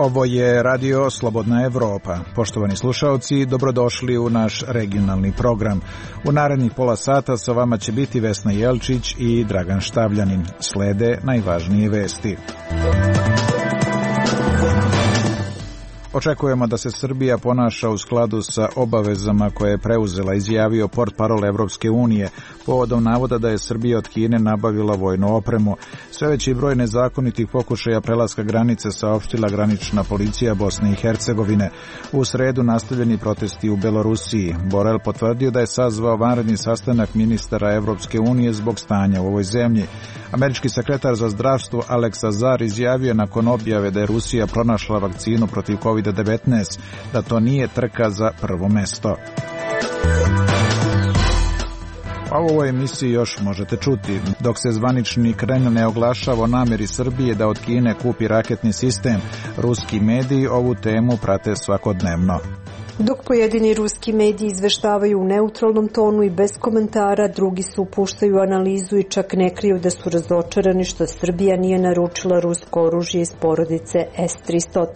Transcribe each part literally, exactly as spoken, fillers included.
Ovo je Radio Slobodna Evropa. Poštovani slušaoci, dobrodošli u naš regionalni program. U narednih pola sata sa vama će biti Vesna Jelčić i Dragan Štavljanin. Slede najvažnije vesti. Očekujemo da se Srbija ponaša u skladu sa obavezama koje je preuzela, izjavio portparol Evropske unije, povodom navoda da je Srbija od Kine nabavila vojnu opremu. Sve veći broj nezakonitih pokušaja prelaska granice saopštila granična policija Bosne i Hercegovine. U sredu nastavljeni protesti u Belorusiji. Borel potvrdio da je sazvao vanredni sastanak ministara Evropske unije zbog stanja u ovoj zemlji. Američki sekretar za zdravstvo Alex Azar izjavio nakon objave da je Rusija pronašla vakcinu protiv kovid devetnaest da to nije trka za prvo mesto. A u ovoj emisiji još možete čuti. Dok se zvanični Kreml ne oglašava o nameri Srbije da od Kine kupi raketni sistem, ruski mediji ovu temu prate svakodnevno. Dok pojedini ruski mediji izveštavaju u neutralnom tonu i bez komentara, drugi se upuštaju analizu i čak ne kriju da su razočarani što Srbija nije naručila rusko oružje iz porodice S tristo.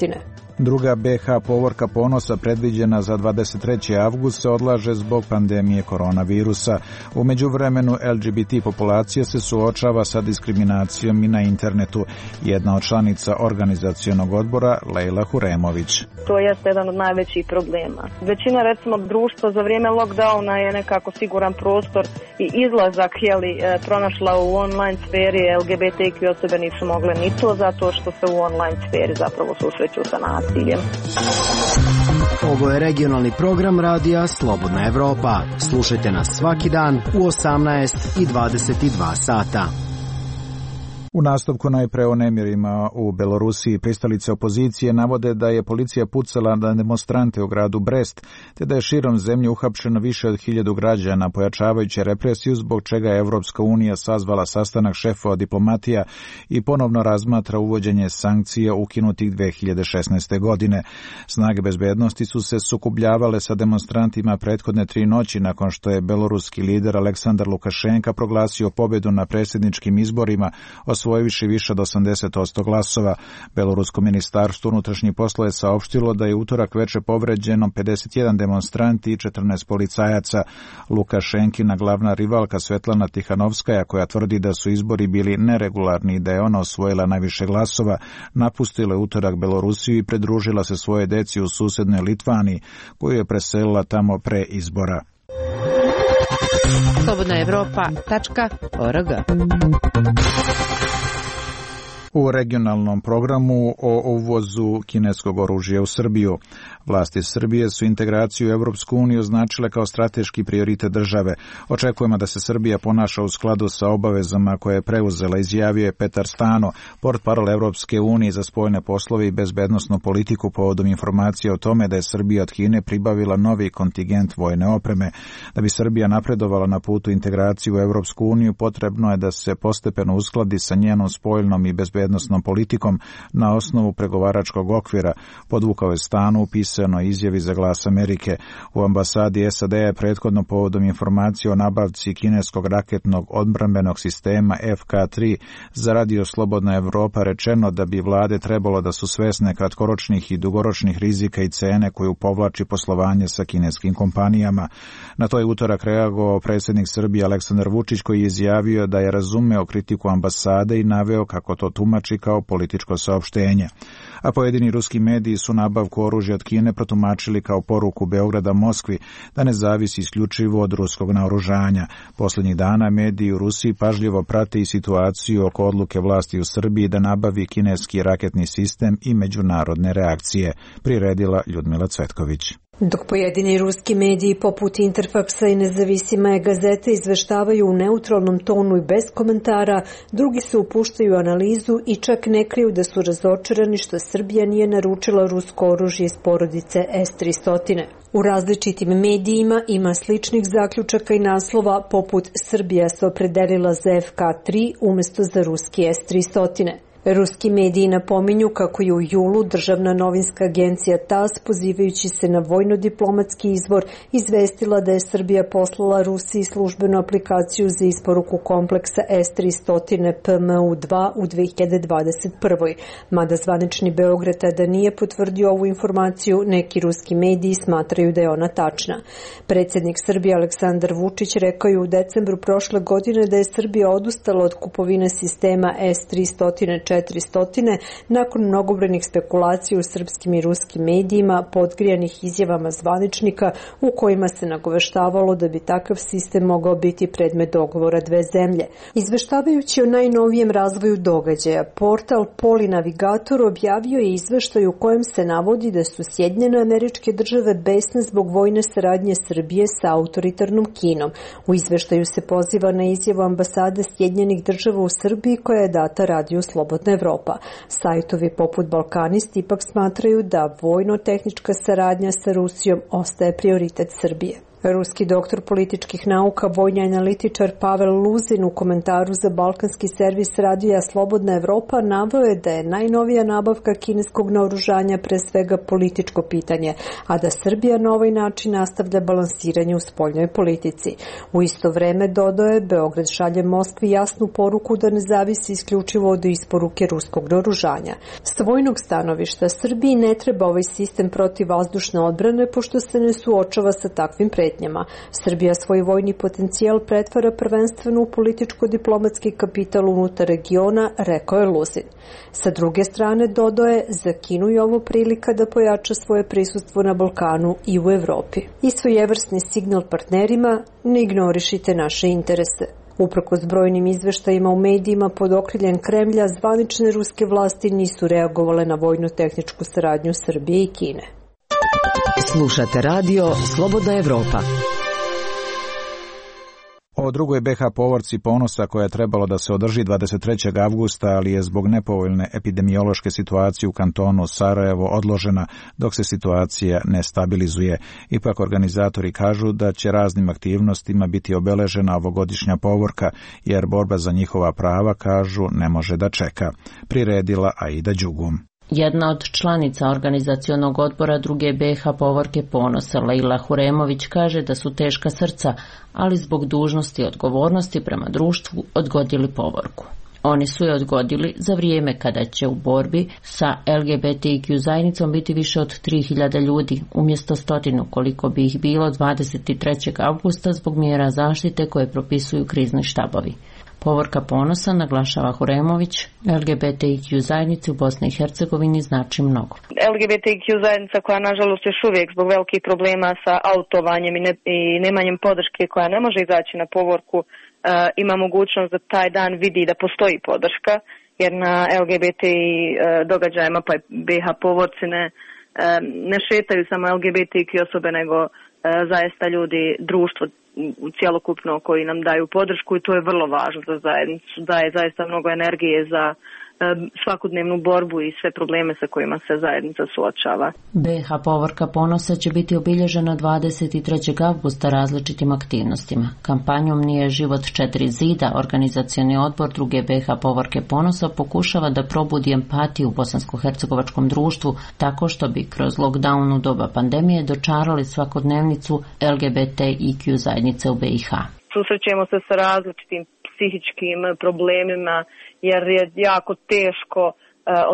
Druga B H povorka ponosa predviđena za dvadeset trećeg avgusta se odlaže zbog pandemije koronavirusa. U međuvremenu L G B T populacija se suočava sa diskriminacijom i na internetu. Jedna od članica organizacionog odbora, Lejla Huremović. To jeste jedan od najvećih problema. Većina, recimo, društva za vrijeme lockdowna je nekako siguran prostor i izlazak jeli, pronašla u online sferi. L G B T Q osobe nisu mogle ni to zato što se u online sferi zapravo susreću sa nasiljem. Ovo je regionalni program radija Slobodna Evropa. Slušajte nas svaki dan u osamnaest i dvadeset dva sata. U nastavku najpre o nemirima u Belorusiji. Pristalice opozicije navode da je policija pucala na demonstrante u gradu Brest, te da je širom zemlje uhapšeno više od hiljadu građana, pojačavajući represiju, zbog čega je Evropska unija sazvala sastanak šefova diplomatija i ponovno razmatra uvođenje sankcija ukinutih dve hiljade šesnaeste. godine. Snage bezbednosti su se sukobljavale sa demonstrantima prethodne tri noći nakon što je beloruski lider Aleksandar Lukašenka proglasio pobedu na predsjedničkim izborima, osvojiviši više od osamdeset posto glasova. Belorusko ministarstvo unutrašnjih poslova je saopštilo da je utorak veče povređeno pedeset jedan demonstranti i četrnaest policajaca. Lukašenkina glavna rivalka Svetlana Tihanovskaja, koja tvrdi da su izbori bili neregularni i da je ona osvojila najviše glasova, napustila je utorak Belorusiju i pridružila se svoje deci u susednoj Litvaniji, koju je preselila tamo pre izbora. slobodna evropa tačka org. U regionalnom programu o uvozu kineskog oružja u Srbiju. Vlasti Srbije su integraciju u Evropsku uniju označile kao strateški prioritet države. Očekujemo da se Srbija ponaša u skladu sa obavezama koje je preuzela, izjavio je Petar Stano, portparol Evropske unije za spoljne poslove i bezbednosnu politiku, povodom informacije o tome da je Srbija od Kine pribavila novi kontingent vojne opreme. Da bi Srbija napredovala na putu integraciju u Evropsku uniju, potrebno je da se postepeno uskladi sa njenom spoljnom i bezbednosnom politikom na osnovu pregovaračkog okvira, podvukao je Stano u pisanoj izjavi za Glas Amerike. U ambasadi S A D je prethodno povodom informacije o nabavci kineskog raketnog odbrambenog sistema F K tri za Radio Slobodna Evropa rečeno da bi vlade trebalo da su svesne kratkoročnih i dugoročnih rizika i cene koju povlači poslovanje sa kineskim kompanijama. Na to je utorak reagovao predsjednik Srbije Aleksandar Vučić, koji je izjavio da je razumeo kritiku ambasade i naveo kako to tumači kao političko saopštenje. A pojedini ruski mediji su nabavku oružja od Kine protumačili kao poruku Beograda Moskvi da ne zavisi isključivo od ruskog naoružanja. Posljednjih dana mediji u Rusiji pažljivo prate i situaciju oko odluke vlasti u Srbiji da nabavi kineski raketni sistem i međunarodne reakcije, priredila Ljudmila Cvetković. Dok pojedini ruski mediji poput Interfaksa i Nezavisima gazete izveštavaju u neutralnom tonu i bez komentara, drugi se upuštaju u analizu i čak ne kriju da su razočarani što Srbija nije naručila rusko oružje iz porodice S tristo. U različitim medijima ima sličnih zaključaka i naslova poput Srbija se opredelila za F K tri umjesto za ruski S tristo. Ruski mediji napominju kako je u julu državna novinska agencija T A S, pozivajući se na vojno-diplomatski izvor, izvestila da je Srbija poslala Rusiji službenu aplikaciju za isporuku kompleksa S tristo P M U dva u dve hiljade dvadeset prvoj. Mada zvanični Beograd tada nije potvrdio ovu informaciju, neki ruski mediji smatraju da je ona tačna. Predsjednik Srbije Aleksandar Vučić rekao je u decembru prošle godine da je Srbija odustala od kupovine sistema S tristo četiristo nakon mnogobrojnih spekulacija u srpskim i ruskim medijima, podgrijanih izjavama zvaničnika u kojima se nagoveštavalo da bi takav sistem mogao biti predmet dogovora dve zemlje. Izveštavajući o najnovijem razvoju događaja, portal Polinavigator objavio je izveštaj u kojem se navodi da su Sjedinjene Američke Države besne zbog vojne saradnje Srbije sa autoritarnom Kinom. U izveštaju se poziva na izjavu ambasade Sjedinjenih Država u Srbiji koja je data Radiju Slobodna Evropa. Sajtovi poput Balkanist ipak smatraju da vojno-tehnička saradnja sa Rusijom ostaje prioritet Srbije. Ruski doktor političkih nauka, vojni analitičar Pavel Luzin u komentaru za balkanski servis radija Slobodna Evropa naveo je da je najnovija nabavka kineskog naoružanja pre svega političko pitanje, a da Srbija na ovaj način nastavlja balansiranje u spoljnoj politici. U isto vreme, dodao je, Beograd šalje Moskvi jasnu poruku da ne zavisi isključivo od isporuke ruskog naoružanja. S vojnog stanovišta Srbiji ne treba ovaj sistem protivvazdušne odbrane pošto se ne suočava sa takvim pretnjama. Srbija svoj vojni potencijal pretvara prvenstveno u političko-diplomatski kapital unutar regiona, rekao je Luzin. Sa druge strane, dodao je, za Kinu je ovo prilika da pojača svoje prisustvo na Balkanu i u Evropi. I svojevrsni signal partnerima, ne ignorišite naše interese. Uprkos brojnim izveštajima u medijima pod okriljem Kremlja, zvanične ruske vlasti nisu reagovale na vojno-tehničku saradnju Srbije i Kine. Slušate radio Slobodna Evropa. O drugoj B H povorci Ponosa koja je trebalo da se održi dvadeset trećeg avgusta, ali je zbog nepovoljne epidemiološke situacije u kantonu Sarajevo odložena dok se situacija ne stabilizuje. Ipak organizatori kažu da će raznim aktivnostima biti obeležena ovogodišnja povorka, jer borba za njihova prava, kažu, ne može da čeka. Priredila Aida Đugum. Jedna od članica organizacionog odbora druge B H povorke Ponosa, Leila Huremović, kaže da su teška srca, ali zbog dužnosti i odgovornosti prema društvu odgodili povorku. Oni su je odgodili za vrijeme kada će u borbi sa L G B T Q zajednicom biti više od tri hiljade ljudi, umjesto stotinu koliko bi ih bilo dvadeset trećeg avgusta zbog mjera zaštite koje propisuju krizni štabovi. Povorka Ponosa, naglašava Huremović, L G B T Q zajednici u Bosni i Hercegovini znači mnogo. L G B T Q zajednica koja nažalost još uvijek zbog velikih problema sa autovanjem i, ne, i nemanjem podrške koja ne može izaći na povorku, uh, ima mogućnost da taj dan vidi da postoji podrška, jer na L G B T uh, događajima pa B H povorci ne, uh, ne šetaju samo L G B T Q osobe, nego uh, zaista ljudi, društvo cjelokupno koji nam daju podršku, i to je vrlo važno za zajednicu. Daje zaista mnogo energije za svakodnevnu borbu i sve probleme sa kojima se zajednica suočava. B H povorka Ponosa će biti obilježena dvadeset trećeg avgusta različitim aktivnostima. Kampanjom Nije život četiri zida, organizacioni odbor druge B H povorke Ponosa pokušava da probudi empatiju u bosansko-hercegovačkom društvu tako što bi kroz lockdown u doba pandemije dočarali svakodnevnicu L G B T I Q zajednice u B i H. Susrećemo se sa različitim psihičkim problemima, jer je jako teško uh,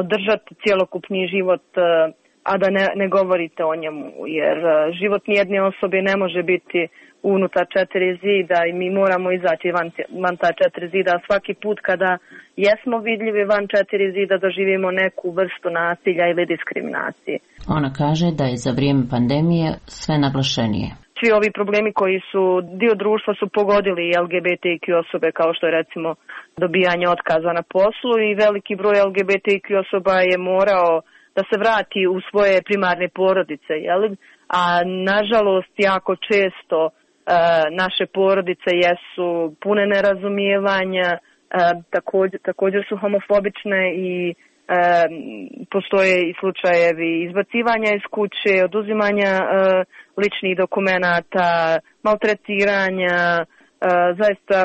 održati cjelokupni život, uh, a da ne, ne govorite o njemu, jer uh, život nijedne osobe ne može biti unutar četiri zida i mi moramo izaći van, van ta četiri zida. Svaki put kada jesmo vidljivi van četiri zida doživimo neku vrstu nasilja ili diskriminacije. Ona kaže da je za vrijeme pandemije sve naglašenije. Svi ovi problemi koji su dio društva su pogodili L G B T Q osobe, kao što je recimo dobijanje otkaza na poslu, i veliki broj L G B T Q osoba je morao da se vrati u svoje primarne porodice, jel? A nažalost jako često e, naše porodice jesu pune nerazumijevanja, e, također, također su homofobične i e, postoje i slučajevi izbacivanja iz kuće, oduzimanja e, ličnih dokumenata, maltretiranja, zaista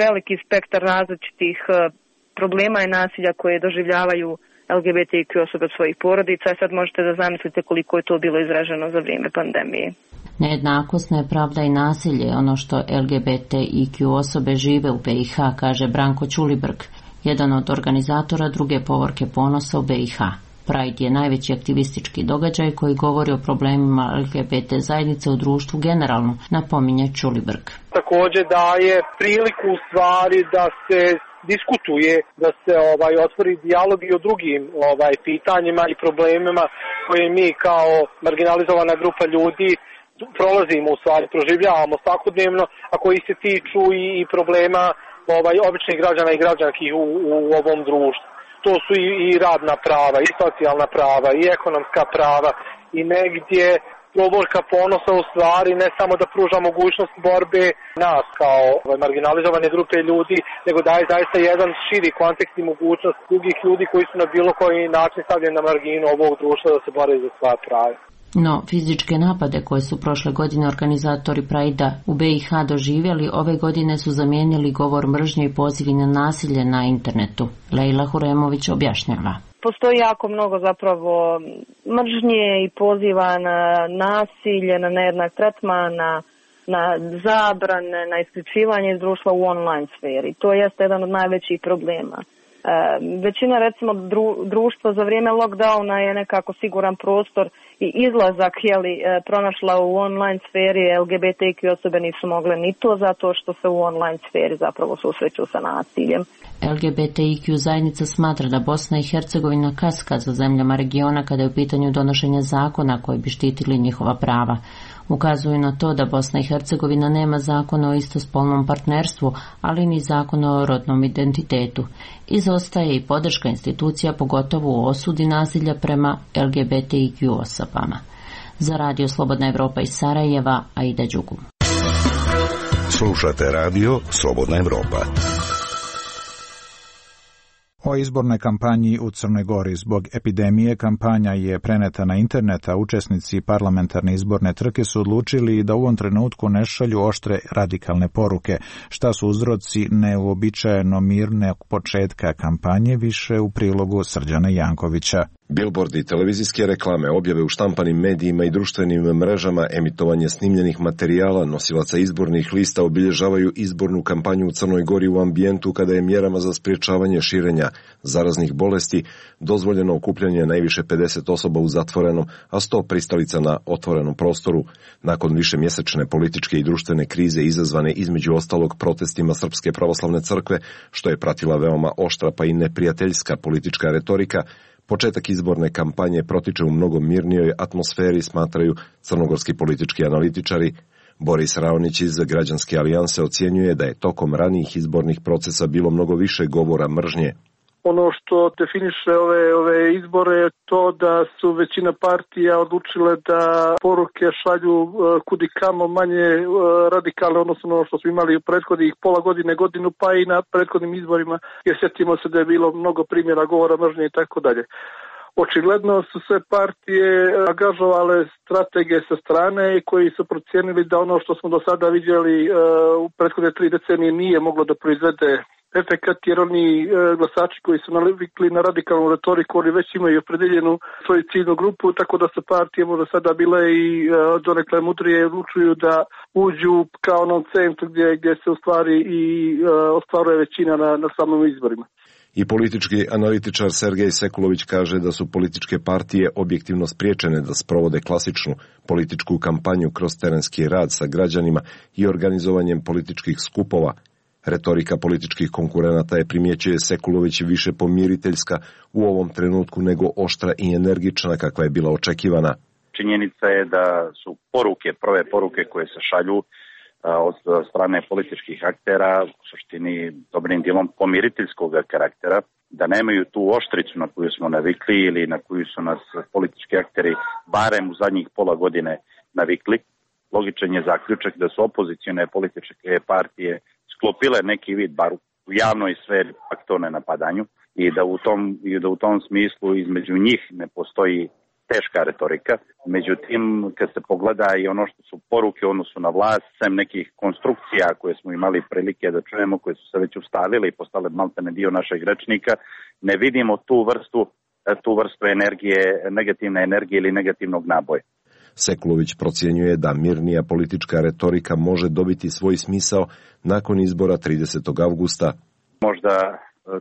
veliki spektar različitih problema i nasilja koje doživljavaju L G B T Q osobe od svojih porodica. Sad možete da zamislite koliko je to bilo izraženo za vrijeme pandemije. Nejednakost, nepravda i nasilje je ono što L G B T I Q osobe žive u B i H, kaže Branko Ćulibrk, jedan od organizatora druge povorke ponosa u B i H. Pride je najveći aktivistički događaj koji govori o problemima L G B T zajednice u društvu generalno, napominje Ćulibrk. Također daje priliku u stvari da se diskutuje, da se ovaj otvori dijalog i o drugim ovaj pitanjima i problemima koje mi kao marginalizovana grupa ljudi prolazimo, u stvari proživljavamo svakodnevno, a koji se tiču i, i problema ovaj običnih građana i građanki u, u ovom društvu. To su i, i radna prava, i socijalna prava, i ekonomska prava, i negdje povorka ponosa u stvari ne samo da pruža mogućnost borbe nas kao ovaj, marginalizovane grupe ljudi, nego daje zaista jedan širi kontekst i mogućnost drugih ljudi koji su na bilo koji način stavljeni na marginu ovog društva da se bore za svoja prava. No, fizičke napade koje su prošle godine organizatori Pride-a u B i H doživjeli, ove godine su zamijenili govor mržnje i pozivi na nasilje na internetu. Lejla Huremović objašnjava. Postoji jako mnogo zapravo mržnje i poziva na nasilje, na nejednak tretman, na, na zabrane, na isključivanje iz društva u online sferi. To jeste jedan od najvećih problema. E, većina recimo dru, društva za vrijeme lockdowna je nekako siguran prostor i izlazak jeli, pronašla u online sferi. L G B T Q osobe nisu mogle ni to zato što se u online sferi zapravo susreću sa nasiljem. L G B T I Q zajednica smatra da Bosna i Hercegovina kaska za zemljama regiona kada je u pitanju donošenja zakona koji bi štitili njihova prava. Ukazuju na to da Bosna i Hercegovina nema zakona o istospolnom partnerstvu, ali ni zakona o rodnom identitetu. Izostaje i podrška institucija, pogotovo u osudi nasilja prema L G B T I Q osobama. Za Radio Slobodna Evropa iz Sarajeva, Aida Đugum. Slušate Radio Slobodna Evropa. O izbornoj kampanji u Crnoj Gori zbog epidemije kampanja je preneta na internet, a učesnici parlamentarne izborne trke su odlučili da u ovom trenutku ne šalju oštre radikalne poruke. Šta su uzroci neuobičajeno mirnog početka kampanje, više u prilogu Srđana Jankovića. Bilbordi i televizijske reklame, objave u štampanim medijima i društvenim mrežama, emitovanje snimljenih materijala, nosilaca izbornih lista obilježavaju izbornu kampanju u Crnoj Gori u ambijentu kada je mjerama za sprječavanje širenja zaraznih bolesti dozvoljeno okupljanje najviše pedeset osoba u zatvorenom, a sto pristalica na otvorenom prostoru. Nakon višemjesečne političke i društvene krize izazvane između ostalog protestima Srpske pravoslavne crkve, što je pratila veoma oštra pa i neprijateljska politička retorika, početak izborne kampanje protiče u mnogo mirnijoj atmosferi, smatraju crnogorski politički analitičari. Boris Raonić iz Građanske alijanse ocjenjuje da je tokom ranijih izbornih procesa bilo mnogo više govora mržnje. Ono što definiše ove, ove izbore je to da su većina partija odlučile da poruke šalju kudi kamo manje radikalne, odnosno ono što smo imali u prethodnih pola godine, godinu, pa i na prethodnim izborima, jer sjetimo se da je bilo mnogo primjera govora mržnje i tako dalje. Očigledno su sve partije angažovale strategije sa strane koji su procijenili da ono što smo do sada vidjeli u prethodne tri decenije nije moglo da proizvede efekat, jer oni e, glasači koji su navikli na radikalnu retoriku, oni već imaju opredeljenu svoju ciljnu grupu, tako da su partije možda sada bile i e, donekle mudrije odlučuju da uđu kao onom centru gdje, gdje se u stvari i e, ostvaruje većina na, na samom izborima. I politički analitičar Sergej Sekulović kaže da su političke partije objektivno spriječene da sprovode klasičnu političku kampanju kroz terenski rad sa građanima i organizovanjem političkih skupova. Retorika političkih konkurenata je, primjećuje Sekulović, više pomiriteljska u ovom trenutku nego oštra i energična kakva je bila očekivana. Činjenica je da su poruke, prve poruke koje se šalju od strane političkih aktera u suštini dobrim dijelom pomiriteljskog karaktera, da nemaju tu oštricu na koju smo navikli ili na koju su nas politički akteri barem u zadnjih pola godine navikli. Logičan je zaključak da su opozicione političke partije sklopile neki vid, bar u javnoj sferi, paktone napadanju i da u tom, i da u tom smislu između njih ne postoji teška retorika. Međutim, kad se pogleda i ono što su poruke u odnosu na vlast, sem nekih konstrukcija koje smo imali prilike da čujemo, koje su se već ustavile i postale maltene dio našeg rečnika, ne vidimo tu vrstu, tu vrstu energije, negativne energije ili negativnog naboja. Sekulović procjenjuje da mirnija politička retorika može dobiti svoj smisao nakon izbora tridesetog avgusta. Možda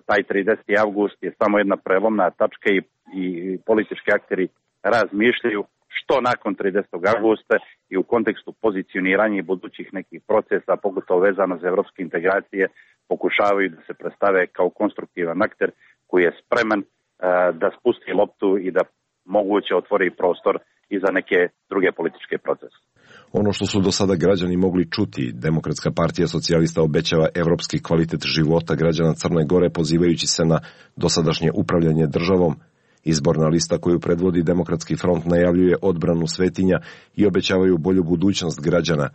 taj trideseti avgust je samo jedna prelomna tačka i, i politički akteri razmišljaju što nakon tridesetog avgusta i u kontekstu pozicioniranja i budućih nekih procesa, pogotovo vezano za evropske integracije, pokušavaju da se predstave kao konstruktivan akter koji je spreman uh, da spusti loptu i da moguće otvori prostor i za neke druge političke procese. Ono što su do sada građani mogli čuti, Demokratska partija socijalista obećava evropski kvalitet života građana Crne Gore pozivajući se na dosadašnje upravljanje državom. Izborna lista koju predvodi Demokratski front najavljuje odbranu svetinja i obećavaju bolju budućnost građana.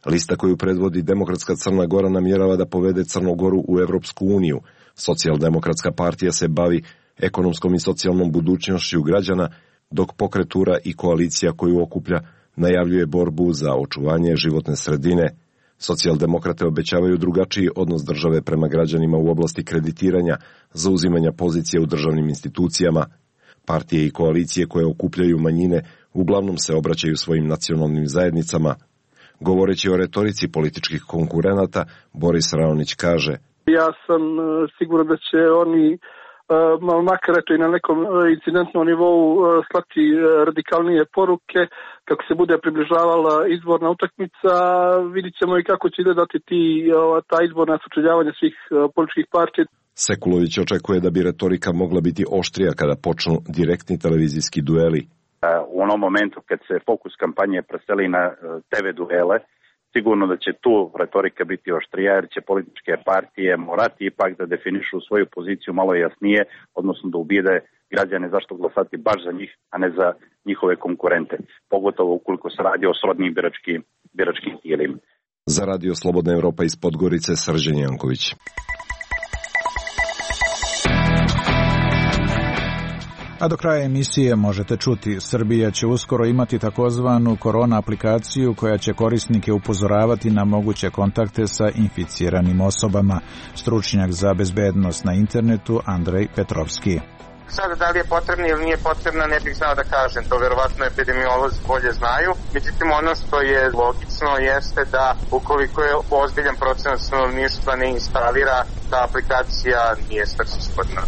Lista koju predvodi Demokratska Crna Gora namjerava da povede Crnu Goru u Evropsku uniju. Socijaldemokratska partija se bavi ekonomskom i socijalnom budućnošću građana, dok pokretura i koalicija koju okuplja najavljuje borbu za očuvanje životne sredine. Socijaldemokrate obećavaju drugačiji odnos države prema građanima u oblasti kreditiranja, zauzimanja pozicije u državnim institucijama. Partije i koalicije koje okupljaju manjine uglavnom se obraćaju svojim nacionalnim zajednicama. Govoreći o retorici političkih konkurenata, Boris Raonić kaže: Ja sam siguran da će oni makar eto i na nekom incidentnom nivou slati radikalnije poruke kako se bude približavala izborna utakmica. Vidit ćemo i kako će izgledati ti, ta izborna sučeljavanja svih političkih partija. Sekulović očekuje da bi retorika mogla biti oštrija kada počnu direktni televizijski dueli. U onom momentu kad se fokus kampanje preseli na te ve duele, sigurno da će tu retorika biti oštrija, jer će političke partije morati ipak da definišu svoju poziciju malo jasnije, odnosno da ubijede građane zašto glasati baš za njih, a ne za njihove konkurente, pogotovo ukoliko se radi o srodnim biračkim, biračkim tijelima. Za Radio Slobodna Evropa iz Podgorice, Srđan Janković. A do kraja emisije možete čuti, Srbija će uskoro imati takozvanu korona aplikaciju koja će korisnike upozoravati na moguće kontakte sa inficiranim osobama. Stručnjak za bezbednost na internetu Andrej Petrovski. Sada da li je potrebna ili nije potrebna ne bih znao da kažem, to verovatno epidemiolozi bolje znaju. Međutim, ono što je logično jeste da ukoliko je ozbiljan procenat stanovništva ne instalira, ta aplikacija nije svrsishodna.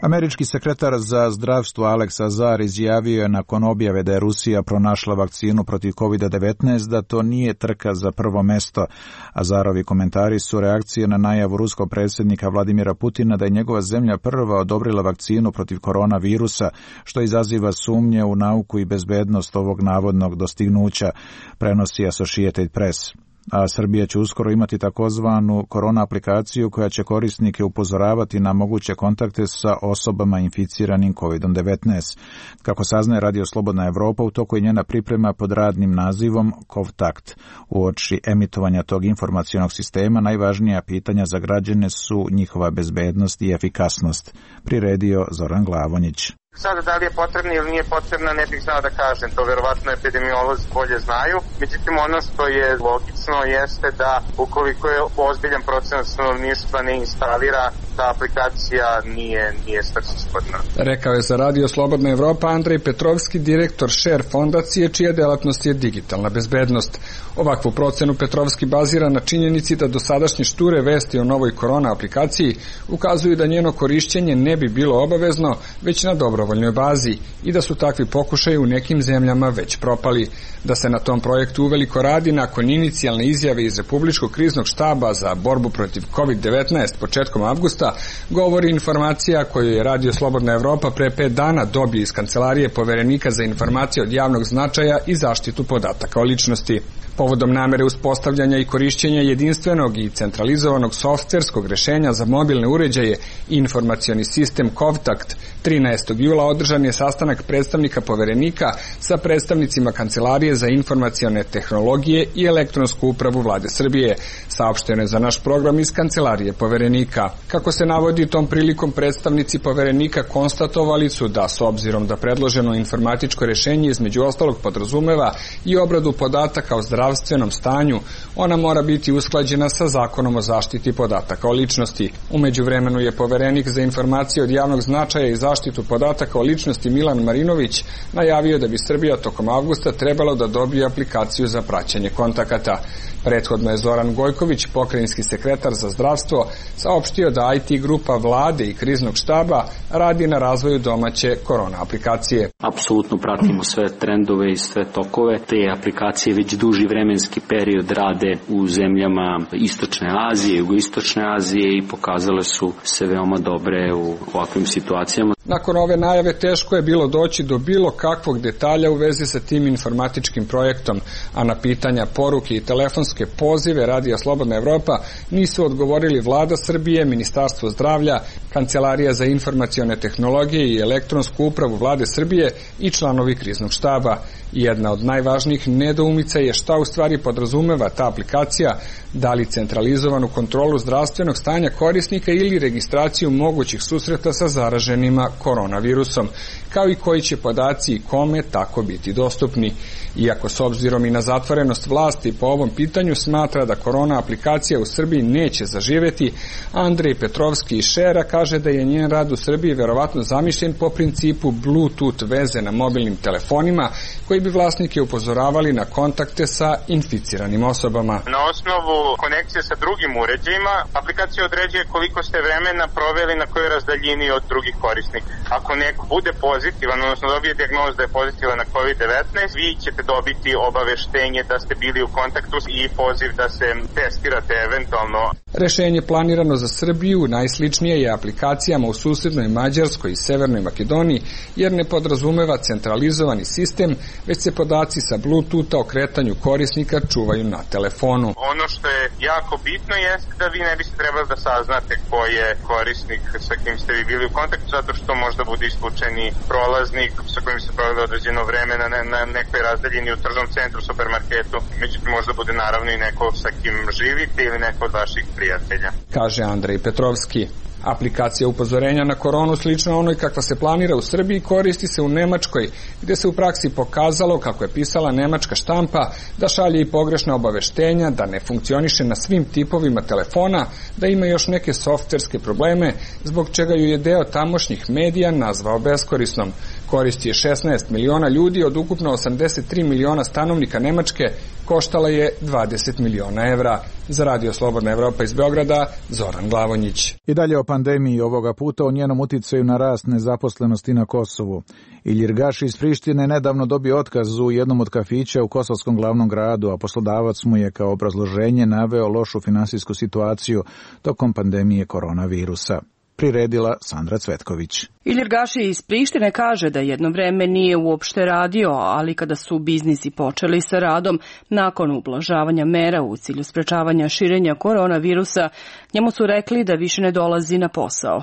Američki sekretar za zdravstvo Alex Azar izjavio je nakon objave da je Rusija pronašla vakcinu protiv kovid devetnaest da to nije trka za prvo mesto. Azarovi komentari su reakcije na najavu ruskog predsjednika Vladimira Putina da je njegova zemlja prva odobrila vakcinu protiv koronavirusa, što izaziva sumnje u nauku i bezbednost ovog navodnog dostignuća, prenosi Associated Press. A Srbija će uskoro imati takozvanu korona aplikaciju koja će korisnike upozoravati na moguće kontakte sa osobama inficiranim kovid devetnaest. Kako saznaje Radio Slobodna Evropa, u toku je njena priprema pod radnim nazivom Kovtakt. Uoči emitovanja tog informacionog sistema najvažnija pitanja za građane su njihova bezbednost i efikasnost, priredio Zoran Glavonjić. Sada da li je potrebna ili nije potrebna ne bih znao da kažem, to verovatno epidemiolozi bolje znaju. Međutim, ono što je logično jeste da ukoliko je ozbiljan procenat stanovništva ne instalira, ta aplikacija nije, nije svrsishodna. Rekao je za Radio Slobodna Evropa Andrej Petrovski, direktor Share fondacije, čija delatnost je digitalna bezbednost. Ovakvu procenu Petrovski bazira na činjenici da dosadašnje šture vesti o novoj korona aplikaciji ukazuju da njeno korišćenje ne bi bilo obavezno, već na dobrovoljnoj bazi i da su takvi pokušaji u nekim zemljama već propali. Da se na tom projektu uveliko radi nakon inicijalne izjave iz Republičkog kriznog štaba za borbu protiv kovid devetnaest početkom avgusta, govori informacija koju je Radio Slobodna Evropa pre pet dana dobio iz Kancelarije Poverenika za informacije od javnog značaja i zaštitu podataka o ličnosti. Povodom namere uspostavljanja i korišćenja jedinstvenog i centralizovanog softverskog rešenja za mobilne uređaje i informacioni sistem Kovtakt, trinaestog jula održan je sastanak predstavnika Poverenika sa predstavnicima Kancelarije za informacione tehnologije i elektronsku upravu Vlade Srbije, saopšteno je za naš program iz Kancelarije Poverenika. Kako se navodi, tom prilikom predstavnici Poverenika konstatovali su da, s obzirom da predloženo informatičko rešenje između ostalog podrazumeva i obradu podataka o zdravstvenom stanju, ona mora biti usklađena sa Zakonom o zaštiti podataka o ličnosti. U međuvremenu je Poverenik za informacije od javnog značaja i zaštitu podataka o ličnosti Milan Marinović najavio da bi Srbija tokom avgusta trebalo da dobije aplikaciju za praćenje kontakata. Prethodno je Zoran Gojković, pokrajinski sekretar za zdravstvo, saopštio da I T grupa vlade i kriznog štaba radi na razvoju domaće korona aplikacije. Apsolutno pratimo sve trendove i sve tokove. Te aplikacije već duži vremenski period rade u zemljama Istočne Azije, Jugoistočne Azije i pokazale su se veoma dobre u ovakvim situacijama. Nakon ove najave teško je bilo doći do bilo kakvog detalja u vezi sa tim informatičkim projektom, a na pitanja, poruke i telefonske pozive Radija Slobodna Evropa nisu odgovorili Vlada Srbije, Ministarstvo zdravlja, Kancelarija za informacione tehnologije i elektronsku upravu Vlade Srbije i članovi kriznog štaba. Jedna od najvažnijih nedoumica je šta u stvari podrazumeva ta aplikacija, da li centralizovanu kontrolu zdravstvenog stanja korisnika ili registraciju mogućih susreta sa zaraženima koronavirusom, kao i koji će podaci i kome tako biti dostupni. Iako s obzirom i na zatvorenost vlasti po ovom pitanju smatra da korona aplikacija u Srbiji neće zaživeti, Andrej Petrovski iz Šera kaže da je njen rad u Srbiji verovatno zamišljen po principu Bluetooth veze na mobilnim telefonima, koji bi vlasnike upozoravali na kontakte sa inficiranim osobama. Na osnovu konekcije sa drugim uređajima, aplikacija određuje koliko ste vremena proveli na kojoj razdaljini od drugih korisnika. Ako neko bude pozitivan, odnosno dobije dijagnozu da je pozitivan na kovid devetnaest, vi ćete dobiti obaveštenje da ste bili u kontaktu i poziv da se testirate eventualno. Rešenje planirano za Srbiju najsličnije je aplikacijama u susednoj Mađarskoj i Severnoj Makedoniji, jer ne podrazumeva centralizovani sistem, već se podaci sa Bluetootha o kretanju korisnika čuvaju na telefonu. Ono što je jako bitno jeste da vi ne biste trebali da saznate ko je korisnik sa kim ste vi bili u kontaktu, zato što možda bude isključeni prolaznik sa kojim se proveli određeno vreme na, ne, na nekoj razdaljini u tržnom centru, supermarketu, međutim možda bude naravno i neko sa kim živite ili neko od vaših prijatelja. Kaže Andrej Petrovski. Aplikacija upozorenja na koronu slična onoj kakva se planira u Srbiji koristi se u Nemačkoj, gde se u praksi pokazalo, kako je pisala nemačka štampa, da šalje i pogrešna obaveštenja, da ne funkcioniše na svim tipovima telefona, da ima još neke softverske probleme, zbog čega ju je deo tamošnjih medija nazvao beskorisnom. Koristi je šesnaest miliona ljudi od ukupno osamdeset tri miliona stanovnika Nemačke, koštala je dvadeset miliona evra. Za Radio Slobodna Evropa iz Beograda, Zoran Glavonjić. I dalje o pandemiji, ovoga puta o njenom uticaju na rast nezaposlenosti na Kosovu. Ilir Gaši iz Prištine nedavno dobio otkaz u jednom od kafića u kosovskom glavnom gradu, a poslodavac mu je kao obrazloženje naveo lošu finansijsku situaciju tokom pandemije koronavirusa. Priredila Sandra Cvetković. Ilir Gaši iz Prištine kaže da jedno vreme nije uopšte radio, ali kada su biznisi počeli sa radom, nakon ublažavanja mera u cilju sprečavanja širenja koronavirusa, njemu su rekli da više ne dolazi na posao.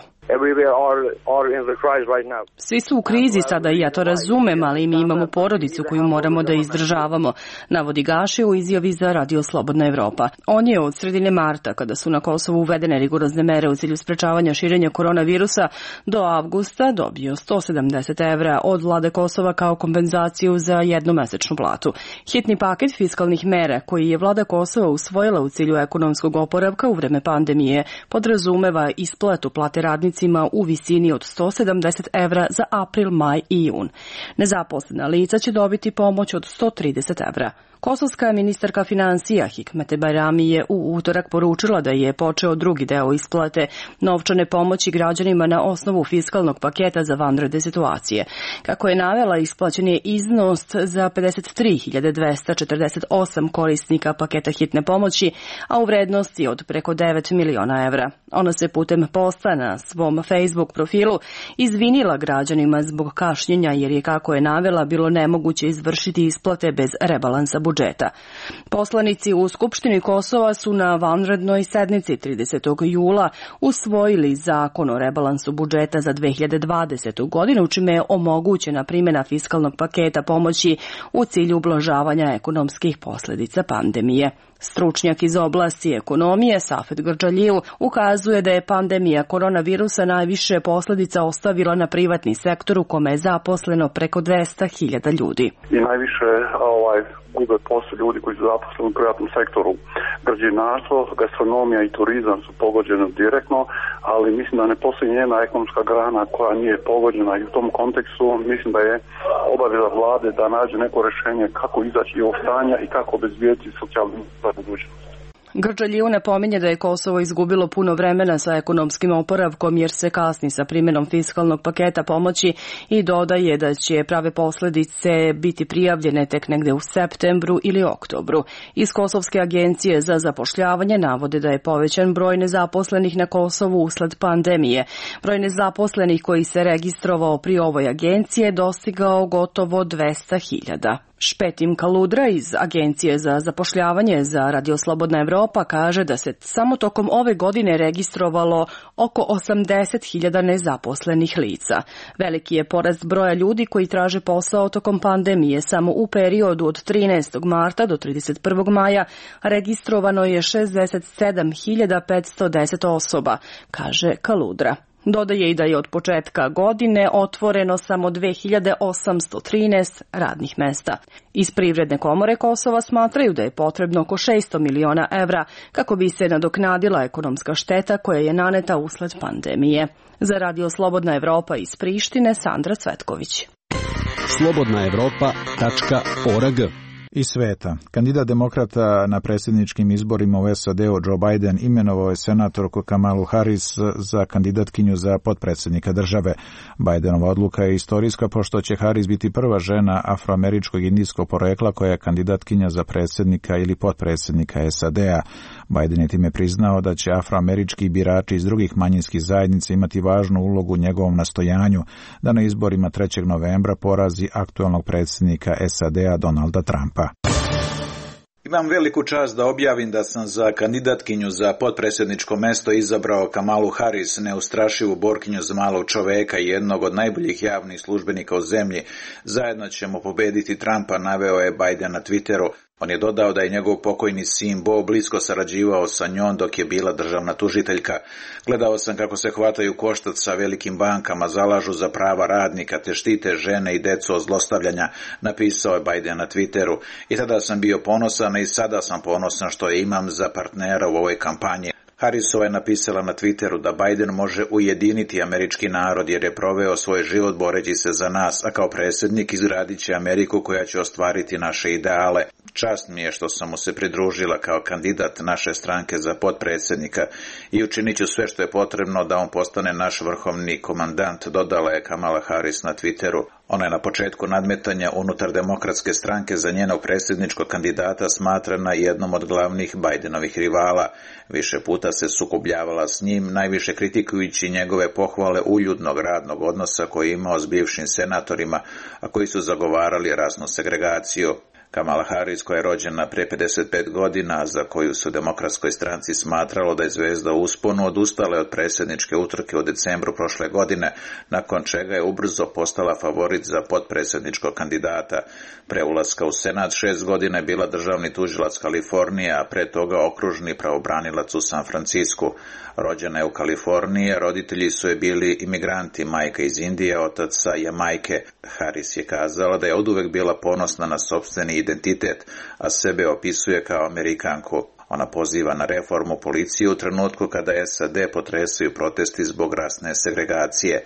Svi su u krizi sada i ja to razumem, ali mi imamo porodicu koju moramo da izdržavamo, navodi Gaši u izjavi za Radio Slobodna Evropa. On je od sredine marta, kada su na Kosovu uvedene rigorozne mere u cilju sprečavanja širenja koronavirusa, do avgusta dobio sto sedamdeset evra od vlade Kosova kao kompenzaciju za jednomesečnu platu. Hitni paket fiskalnih mera koji je vlada Kosova usvojila u cilju ekonomskog oporavka u vreme pandemije podrazumeva isplatu plate radnicima u visini od sto sedamdeset evra za april, maj i jun. Nezaposlena lica će dobiti pomoć od sto trideset evra. Kosovska ministarka finansija Hikmete Bajrami je u utorak poručila da je počeo drugi deo isplate novčane pomoći građanima na osnovu fiskalnog paketa za vanredne situacije. Kako je navela, isplaćen je iznos za pedeset tri hiljade dvesta četrdeset osam korisnika paketa hitne pomoći, a u vrednosti od preko devet miliona evra. Ona se putem posta na svoj svom Facebook profilu izvinila građanima zbog kašnjenja jer je, kako je navela, bilo nemoguće izvršiti isplate bez rebalansa budžeta. Poslanici u Skupštini Kosova su na vanrednoj sednici tridesetog jula usvojili zakon o rebalansu budžeta za dve hiljade dvadesetu. godinu, čime je omogućena primjena fiskalnog paketa pomoći u cilju ublažavanja ekonomskih posljedica pandemije. Stručnjak iz oblasti ekonomije Safet Grđaliju ukazuje da je pandemija koronavirusa najviše posljedica ostavila na privatni sektor u kome je zaposleno preko dvesta hiljada ljudi. I najviše ovaj, gube posao ljudi koji su zaposleni u privatnom sektoru. Građevinarstvo, gastronomija i turizam su pogođeni direktno, ali mislim da ne postoji njena ekonomska grana koja nije pogođena i u tom kontekstu mislim da je obaveza vlade da nađe neko rješenje kako izaći iz ovog stanja i kako obezbijeti socijalnu budućnost. Grđaliju napominje da je Kosovo izgubilo puno vremena sa ekonomskim oporavkom jer se kasni sa primjenom fiskalnog paketa pomoći i dodaje da će prave posljedice biti prijavljene tek negde u septembru ili oktobru. Iz Kosovske agencije za zapošljavanje navode da je povećan broj nezaposlenih na Kosovu usled pandemije. Broj nezaposlenih koji se registrovao pri ovoj agenciji je dostigao gotovo dvesta hiljada. Špetim Kaludra iz Agencije za zapošljavanje za Radio Slobodna Evropa kaže da se samo tokom ove godine registrovalo oko osamdeset hiljada nezaposlenih lica. Veliki je porast broja ljudi koji traže posao tokom pandemije. Samo u periodu od trinaestog marta do trideset prvog maja registrovano je šezdeset sedam hiljada petsto deset osoba, kaže Kaludra. Dodaje i da je od početka godine otvoreno samo dve hiljade osamsto trinaest radnih mesta. Iz Privredne komore Kosova smatraju da je potrebno oko šesto miliona evra kako bi se nadoknadila ekonomska šteta koja je naneta usled pandemije. Za Radio Slobodna Evropa iz Prištine, Sandra Cvetković. slobodna evropa tačka org Iz sveta. Kandidat demokrata na predsjedničkim izborima u S A D-u Joe Biden imenovao je senatorku Kamalu Harris za kandidatkinju za potpredsjednika države. Bidenova odluka je istorijska pošto će Harris biti prva žena afroameričkog indijskog porekla koja je kandidatkinja za predsjednika ili potpredsjednika S A D-a. Biden je time priznao da će afroamerički birači iz drugih manjinskih zajednica imati važnu ulogu u njegovom nastojanju da na izborima trećeg novembra porazi aktualnog predsjednika S A D-a Donalda Trumpa. Imam veliku čast da objavim da sam za kandidatkinju za potpredsjedničko mesto izabrao Kamalu Harris, neustrašivu borkinju za malog čoveka i jednog od najboljih javnih službenika u zemlji. Zajedno ćemo pobediti Trumpa, naveo je Biden na Twitteru. On je dodao da je njegov pokojni sin Bo blisko sarađivao sa njom dok je bila državna tužiteljka. Gledao sam kako se hvataju koštac sa velikim bankama, zalažu za prava radnika te štite žene i decu od zlostavljanja, napisao je Biden na Twitteru. I tada sam bio ponosan i sada sam ponosan što je imam za partnera u ovoj kampanji. Harrisova je napisala na Twitteru da Biden može ujediniti američki narod jer je proveo svoj život boreći se za nas, a kao predsjednik izgradit će Ameriku koja će ostvariti naše ideale. Čast mi je što sam mu se pridružila kao kandidat naše stranke za potpredsjednika i učinit ću sve što je potrebno da on postane naš vrhovni komandant, dodala je Kamala Harris na Twitteru. Ona je na početku nadmetanja unutar demokratske stranke za njenog predsjedničkog kandidata smatrana jednom od glavnih Bidenovih rivala. Više puta se sukobljavala s njim, najviše kritikujući njegove pohvale uljudnog radnog odnosa koji je imao s bivšim senatorima, a koji su zagovarali rasnu segregaciju. Kamala Harris, koja je rođena prije pedeset pet godina, za koju su demokratskoj stranci smatralo da je zvezda u usponu, odustala je od predsjedničke utrke u decembru prošle godine, nakon čega je ubrzo postala favorit za potpredsjedničkog kandidata. Pre ulaska u Senat šest godina je bila državni tužilac Kalifornije, a pre toga okružni pravobranilac u San Francisku. Rođena je u Kaliforniji, roditelji su je bili imigranti, majka iz Indije, otac sa Jamajke. Harris je kazala da je oduvek bila ponosna na sopstveni identitet, a sebe opisuje kao Amerikanku. Ona poziva na reformu policije u trenutku kada S A D potresaju protesti zbog rasne segregacije.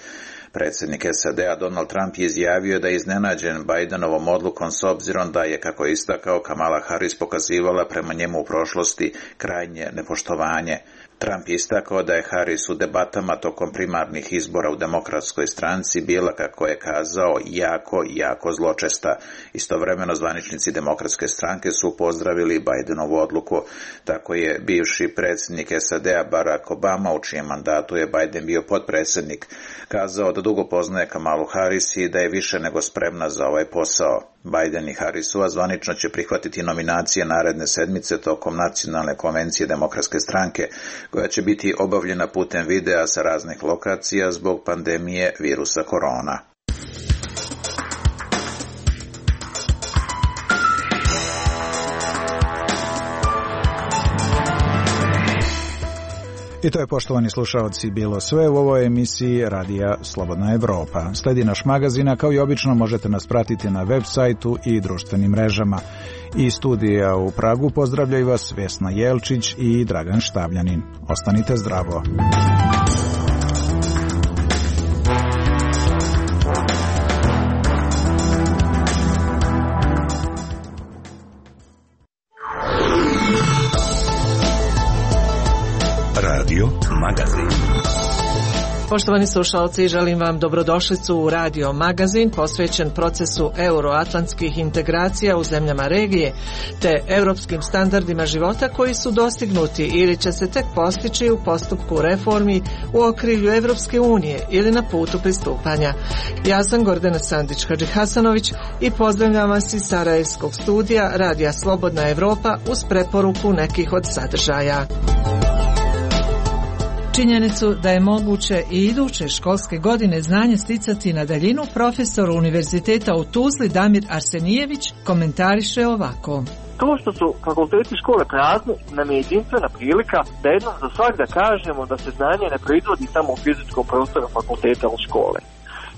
Predsjednik S A D-a Donald Trump je izjavio da je iznenađen Bidenovom odlukom s obzirom da je, kako je istakao, Kamala Harris pokazivala prema njemu u prošlosti krajnje nepoštovanje. Trump je istakao da je Harris u debatama tokom primarnih izbora u demokratskoj stranci bila, kako je kazao, jako, jako zločesta. Istovremeno zvaničnici demokratske stranke su pozdravili Bidenovu odluku. Tako je bivši predsjednik S A D-a Barack Obama, u čijem mandatu je Biden bio potpredsjednik, kazao da dugo poznaje Kamalu Harris i da je više nego spremna za ovaj posao. Biden i Harrisova zvanično će prihvatiti nominacije naredne sedmice tokom nacionalne konvencije demokratske stranke, koja će biti obavljena putem videa sa raznih lokacija zbog pandemije virusa korona. I to je, poštovani slušaoci, bilo sve u ovoj emisiji Radija Slobodna Evropa. Sledi naš magazin, a kao i obično možete nas pratiti na web sajtu i društvenim mrežama. Iz studija u Pragu pozdravljaju vas Vesna Jelčić i Dragan Štavljanin. Ostanite zdravo. Radio Magazin. Poštovani slušalci, želim vam dobrodošlicu u Radio Magazin posvećen procesu euroatlantskih integracija u zemljama regije te europskim standardima života koji su dostignuti ili će se tek postići u postupku reformi u okrilju Evropske unije ili na putu pristupanja. Ja sam Gordana Sandić-Hadžihasanović i pozdravljam vas iz Sarajevskog studija Radija Slobodna Evropa uz preporuku nekih od sadržaja. Činjenicu da je moguće i iduće školske godine znanje sticati na daljinu profesor Univerziteta u Tuzli Damir Arsenijević komentariše ovako. To što su fakulteti škole prazni nam je jedinstvena prilika da jednom za svak da kažemo da se znanje ne proizvodi samo u fizičkom prostoru fakulteta u škole.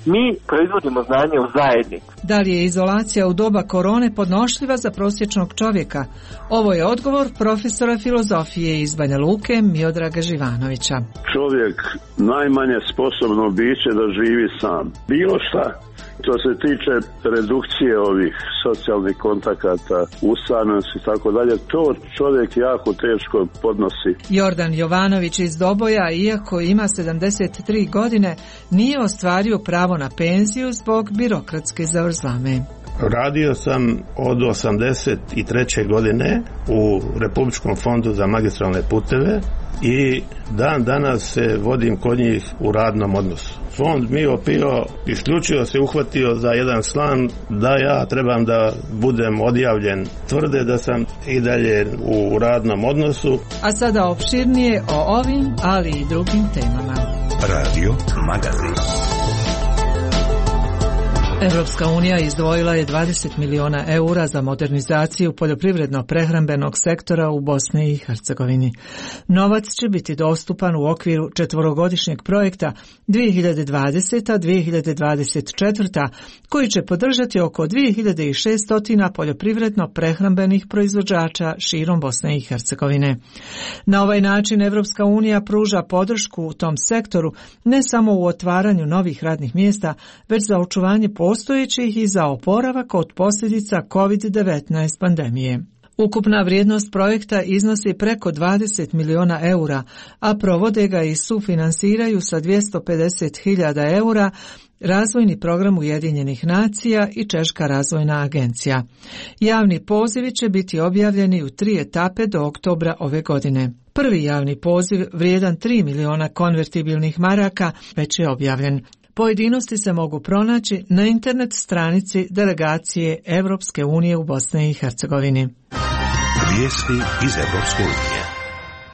Mi proizvodimo znanje u zajednici. Da li je izolacija u doba korone podnošljiva za prosječnog čovjeka? Ovo je odgovor profesora filozofije iz Banja Luke Miodraga Živanovića. Čovjek najmanje sposobno biće da živi sam. Bilo šta. Što se tiče redukcije ovih socijalnih kontakata, usamljenosti i tako dalje, to čovjek jako teško podnosi. Jordan Jovanović iz Doboja, iako ima sedamdeset tri godine, nije ostvario pravo na penziju zbog birokratske zavrzlame. Radio sam od osamdeset treće godine u Republičkom fondu za magistralne puteve i dan danas se vodim kod njih u radnom odnosu. Fond mi opio, isključio se uhvatio za jedan slan da ja trebam da budem odjavljen. Tvrde da sam i dalje u radnom odnosu. A sada opširnije o ovim, ali i drugim temama. Radio Magazin. Evropska unija izdvojila je dvadeset miliona eura za modernizaciju poljoprivredno-prehrambenog sektora u Bosni i Hercegovini. Novac će biti dostupan u okviru četvorogodišnjeg projekta dvije hiljade dvadeseta do dvije hiljade dvadeset četvrta koji će podržati oko dvije hiljade šesto poljoprivredno-prehrambenih proizvođača širom Bosne i Hercegovine. Na ovaj način Evropska unija pruža podršku u tom sektoru ne samo u otvaranju novih radnih mjesta, već za očuvanje postojećih i za oporavak od posljedica kovid devetnaest pandemije. Ukupna vrijednost projekta iznosi preko dvadeset miliona eura, a provode ga i sufinansiraju sa dvjesto pedeset hiljada eura Razvojni program Ujedinjenih nacija i Češka razvojna agencija. Javni pozivi će biti objavljeni u tri etape do oktobra ove godine. Prvi javni poziv vrijedan tri miliona konvertibilnih maraka već je objavljen. Pojedinosti se mogu pronaći na internet stranici delegacije Evropske unije u Bosni i Hercegovini. Vijesti iz Evropske unije.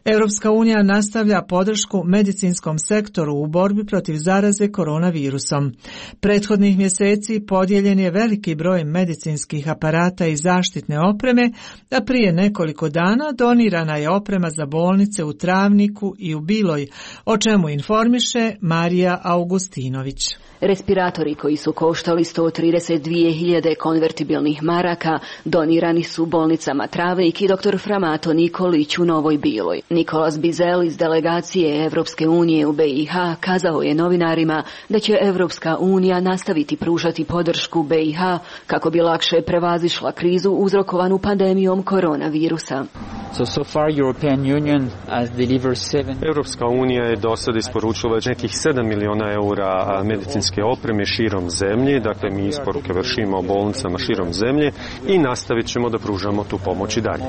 Europska unija nastavlja podršku medicinskom sektoru u borbi protiv zaraze koronavirusom. Prethodnih mjeseci podijeljen je veliki broj medicinskih aparata i zaštitne opreme, a prije nekoliko dana donirana je oprema za bolnice u Travniku i u Biloj, o čemu informiše Marija Augustinović. Respiratori koji su koštali sto trideset dvije hiljade konvertibilnih maraka donirani su bolnicama Travnik i doktor Framato Nikolić u Novoj Biloj. Nikolas Bizel iz delegacije Evropske unije u B i H kazao je novinarima da će Evropska unija nastaviti pružati podršku B i H kako bi lakše prevazišla krizu uzrokovanu pandemijom koronavirusa. So, so far European Union has delivered seven... Evropska unija je do sada isporučila nekih sedam miliona eura medicinske opreme širom zemlje, dakle mi isporuke vršimo bolnicama širom zemlje i nastavit ćemo da pružamo tu pomoć i dalje.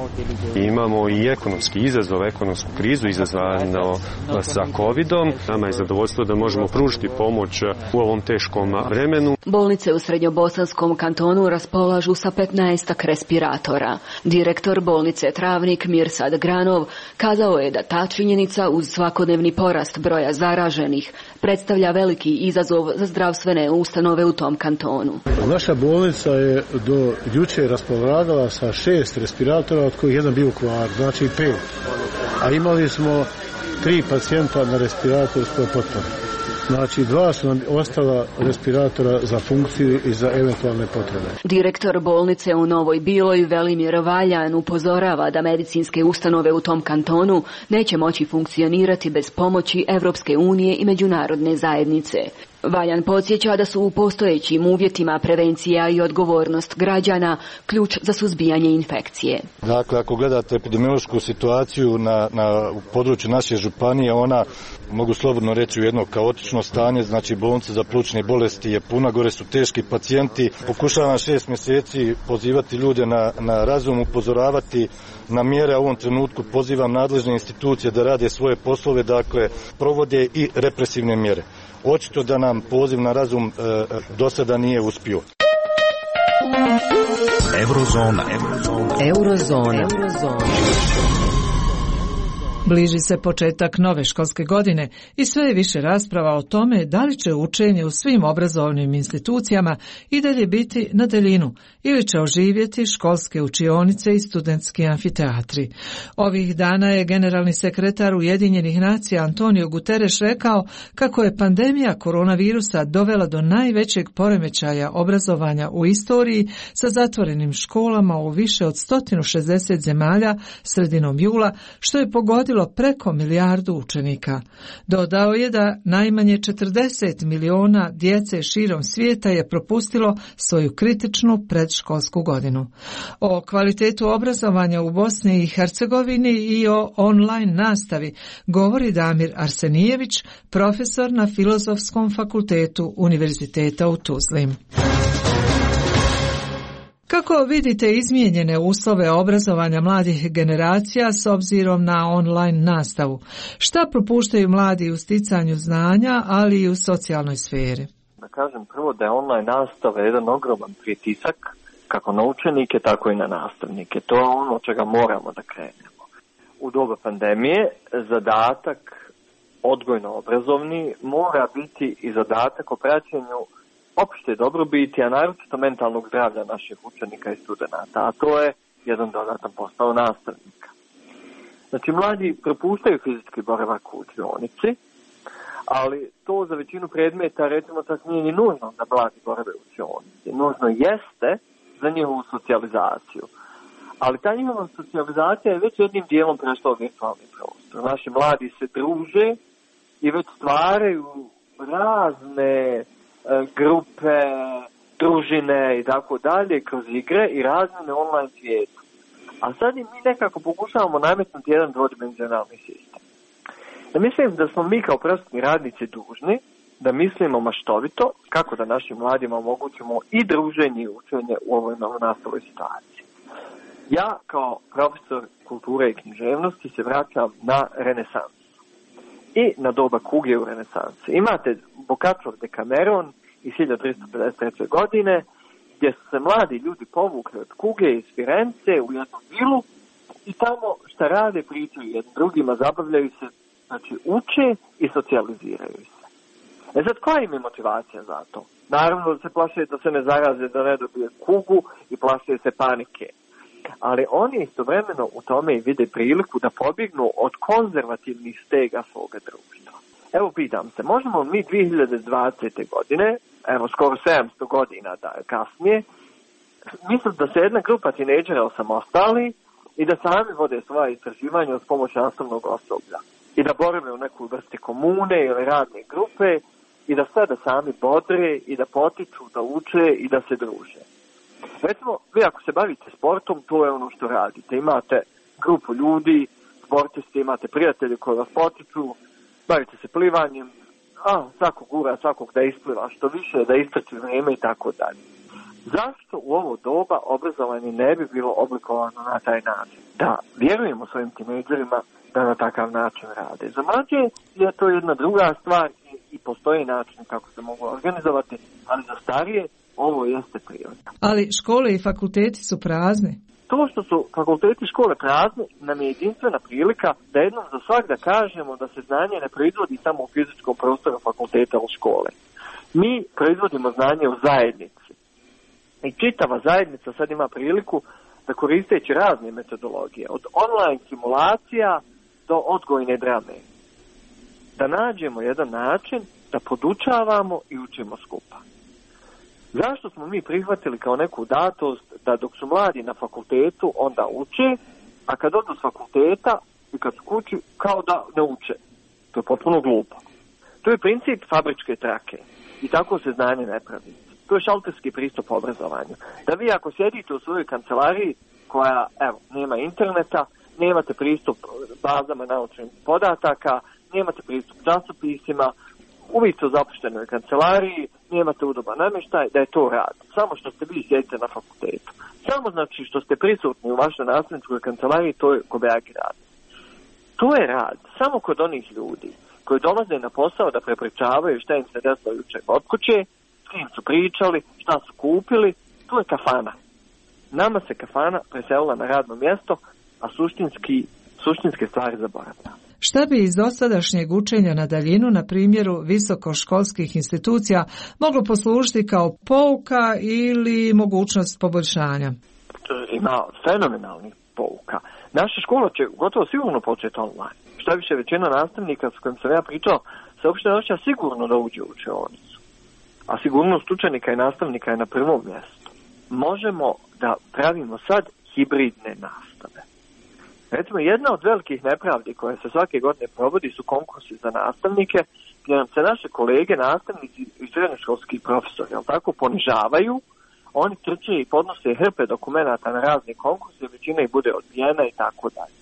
Imamo i ekonomski izazov, ekonomsku krizu izazvano sa covidom. Nama je zadovoljstvo da možemo pružiti pomoć u ovom teškom vremenu. Bolnice u Srednjobosanskom kantonu raspolažu sa petnaestak respiratora. Direktor bolnice Travnik Mirsad Granov kazao je da ta činjenica uz svakodnevni porast broja zaraženih predstavlja veliki izazov za zdravstvene ustanove u tom kantonu. Naša bolnica je do juče raspolagala sa šest respiratora, od kojih jedan bio u kvaru, znači pet. A imali smo tri pacijenta na respiratorskoj potpori. Znači, dva su nam ostala respiratora za funkciju i za eventualne potrebe. Direktor bolnice u Novoj Biloj Velimir Valjan upozorava da medicinske ustanove u tom kantonu neće moći funkcionirati bez pomoći Evropske unije i međunarodne zajednice. Valjan podsjeća da su u postojećim uvjetima prevencija i odgovornost građana ključ za suzbijanje infekcije. Dakle, ako gledate epidemiološku situaciju na, na u području naše županije, ona, mogu slobodno reći, u jedno kaotično stanje, znači bolnica za plućne bolesti je puna, gore su teški pacijenti. Pokušavam šest mjeseci pozivati ljude na, na razum, upozoravati na mjere, a u ovom trenutku pozivam nadležne institucije da rade svoje poslove, dakle, provode i represivne mjere. Očito da nam poziv na razum e, do sada nije uspio. Eurozona. Eurozona. Eurozona. Eurozona. Bliži se početak nove školske godine i sve je više rasprava o tome da li će učenje u svim obrazovnim institucijama i dalje biti na daljinu ili će oživjeti školske učionice i studentski amfiteatri. Ovih dana je generalni sekretar Ujedinjenih nacija Antonio Guterres rekao kako je pandemija koronavirusa dovela do najvećeg poremećaja obrazovanja u istoriji sa zatvorenim školama u više od sto šezdeset zemalja sredinom jula, što je pogodilo preko milijardu učenika. Dodao je da najmanje četrdeset miliona djece širom svijeta je propustilo svoju kritičnu predškolsku godinu. O kvalitetu obrazovanja u Bosni i Hercegovini i o online nastavi govori Damir Arsenijević, profesor na Filozofskom fakultetu Univerziteta u Tuzli. Kako vidite izmijenjene uslove obrazovanja mladih generacija s obzirom na online nastavu? Šta propuštaju mladi u sticanju znanja, ali i u socijalnoj sferi? Da kažem prvo da je online nastava jedan ogroman pritisak, kako na učenike, tako i na nastavnike. To je ono od čega moramo da krenemo. U doba pandemije zadatak odgojno-obrazovni mora biti i zadatak o praćenju opšte dobrobiti, a naročito mentalnog zdravlja naših učenika i studenata, a to je jedan dodatan posao nastavnika. Znači, mladi propuštaju fizički boravak u učionici, ali to za većinu predmeta, recimo, čak nije ni nužno da mladi borave u učionici. Nužno jeste za njihovu socijalizaciju. Ali ta njihova socijalizacija je već jednim dijelom prešla u virtualni prostor. Naši mladi se druže i već stvaraju razne grupe, družine i tako dalje kroz igre i razmjene online svijetu. A sad i mi nekako pokušavamo nametnuti jedan dvodimenzionalni sistem. Ja mislim da smo mi kao prosvetni radnici dužni da mislimo maštovito kako da našim mladima omogućimo i druženje i učenje u ovoj novonastaloj situaciji. Ja kao profesor kulture i književnosti se vraćam na renesansu i na doba kuge u renesansi. Imate Boccaccov Decameron iz hiljadu tristo pedeset treće. godine, gdje su se mladi ljudi povukli od kuge iz Firence u jednu vilu i tamo šta rade, pričaju jednim drugima, zabavljaju se, znači uče i socijaliziraju se. E sad, koja im je motivacija za to? Naravno da se plaše da se ne zaraze, da ne dobije kugu i plaše se panike. Ali oni istovremeno u tome i vide priliku da pobjegnu od konzervativnih stega svoga društva. Evo pitam se, možemo mi dvije hiljade dvadesete. godine, evo skoro sedamsto godina da kasnije, mislim da se jedna grupa tinejdžera osamostali i da sami vode svoje istraživanje uz pomoć nastavnog osoblja i da borave u nekoj vrsti komune ili radne grupe i da sve da sami bodre i da potiču, da uče i da se druže. Recimo, vi ako se bavite sportom, to je ono što radite. Imate grupu ljudi, sportisti, imate prijatelje koji vas potiču, bavite se plivanjem, a svakog gura, svakog da ispliva što više, da istrči vrijeme i tako dalje. Zašto u ovo doba obrazovanje ne bi bilo oblikovano na taj način? Da vjerujemo svojim tinejdžerima da na takav način rade. Za mlađe je to jedna druga stvar i postoji način kako se mogu organizovati, ali za starije ovo jeste prirodno. Ali škole i fakulteti su prazni. To što su fakulteti i škole prazni nam je jedinstvena prilika da jednom za svak da kažemo da se znanje ne proizvodi samo u fizičkom prostoru fakulteta u škole. Mi proizvodimo znanje u zajednici. I čitava zajednica sad ima priliku da koristeći razne metodologije, od online simulacija do odgojne drame, da nađemo jedan način da podučavamo i učimo skupa. Zašto smo mi prihvatili kao neku datost da dok su mladi na fakultetu onda uče, a kad odu s fakulteta i kad su kući kao da ne uče? To je potpuno glupo. To je princip fabričke trake i tako se znanje ne pravi. To je šalterski pristup obrazovanju. Da vi ako sjedite u svojoj kancelariji koja, evo, nema interneta, nemate pristup bazama naučnih podataka, nemate pristup časopisima, uvijek u zapuštenoj kancelariji, nemate udoban namještaj, da je to rad. Samo što ste vi sjedite na fakultetu. Samo znači što ste prisutni u vašoj nastavničkoj kancelariji, to je kobajagi rad. To je rad samo kod onih ljudi koji dolaze na posao da prepričavaju šta im se desilo jučer od kuće, s kim su pričali, šta su kupili, to je kafana. Nama se kafana preselila na radno mjesto, a suštinski, suštinske stvari zaboravlja. Šta bi iz dosadašnjeg učenja na daljinu na primjeru visokoškolskih institucija moglo poslužiti kao pouka ili mogućnost poboljšanja? Ima fenomenalnih pouka. Naša škola će gotovo sigurno početi online. Šta više, većina nastavnika s kojim sam ja pričao se uopšte ne osjeća sigurno da uđe u učionicu. A sigurnost učenika i nastavnika je na prvom mjestu. Možemo da pravimo sad hibridne nastave. Recimo, jedna od velikih nepravdi koje se svake godine provodi su konkursi za nastavnike, gdje nam se naše kolege, nastavnici i srednjoškolski profesori, jel tako, ponižavaju, oni trče i podnose hrpe dokumenata na razne konkurse, većina ih bude odbijena i tako dalje.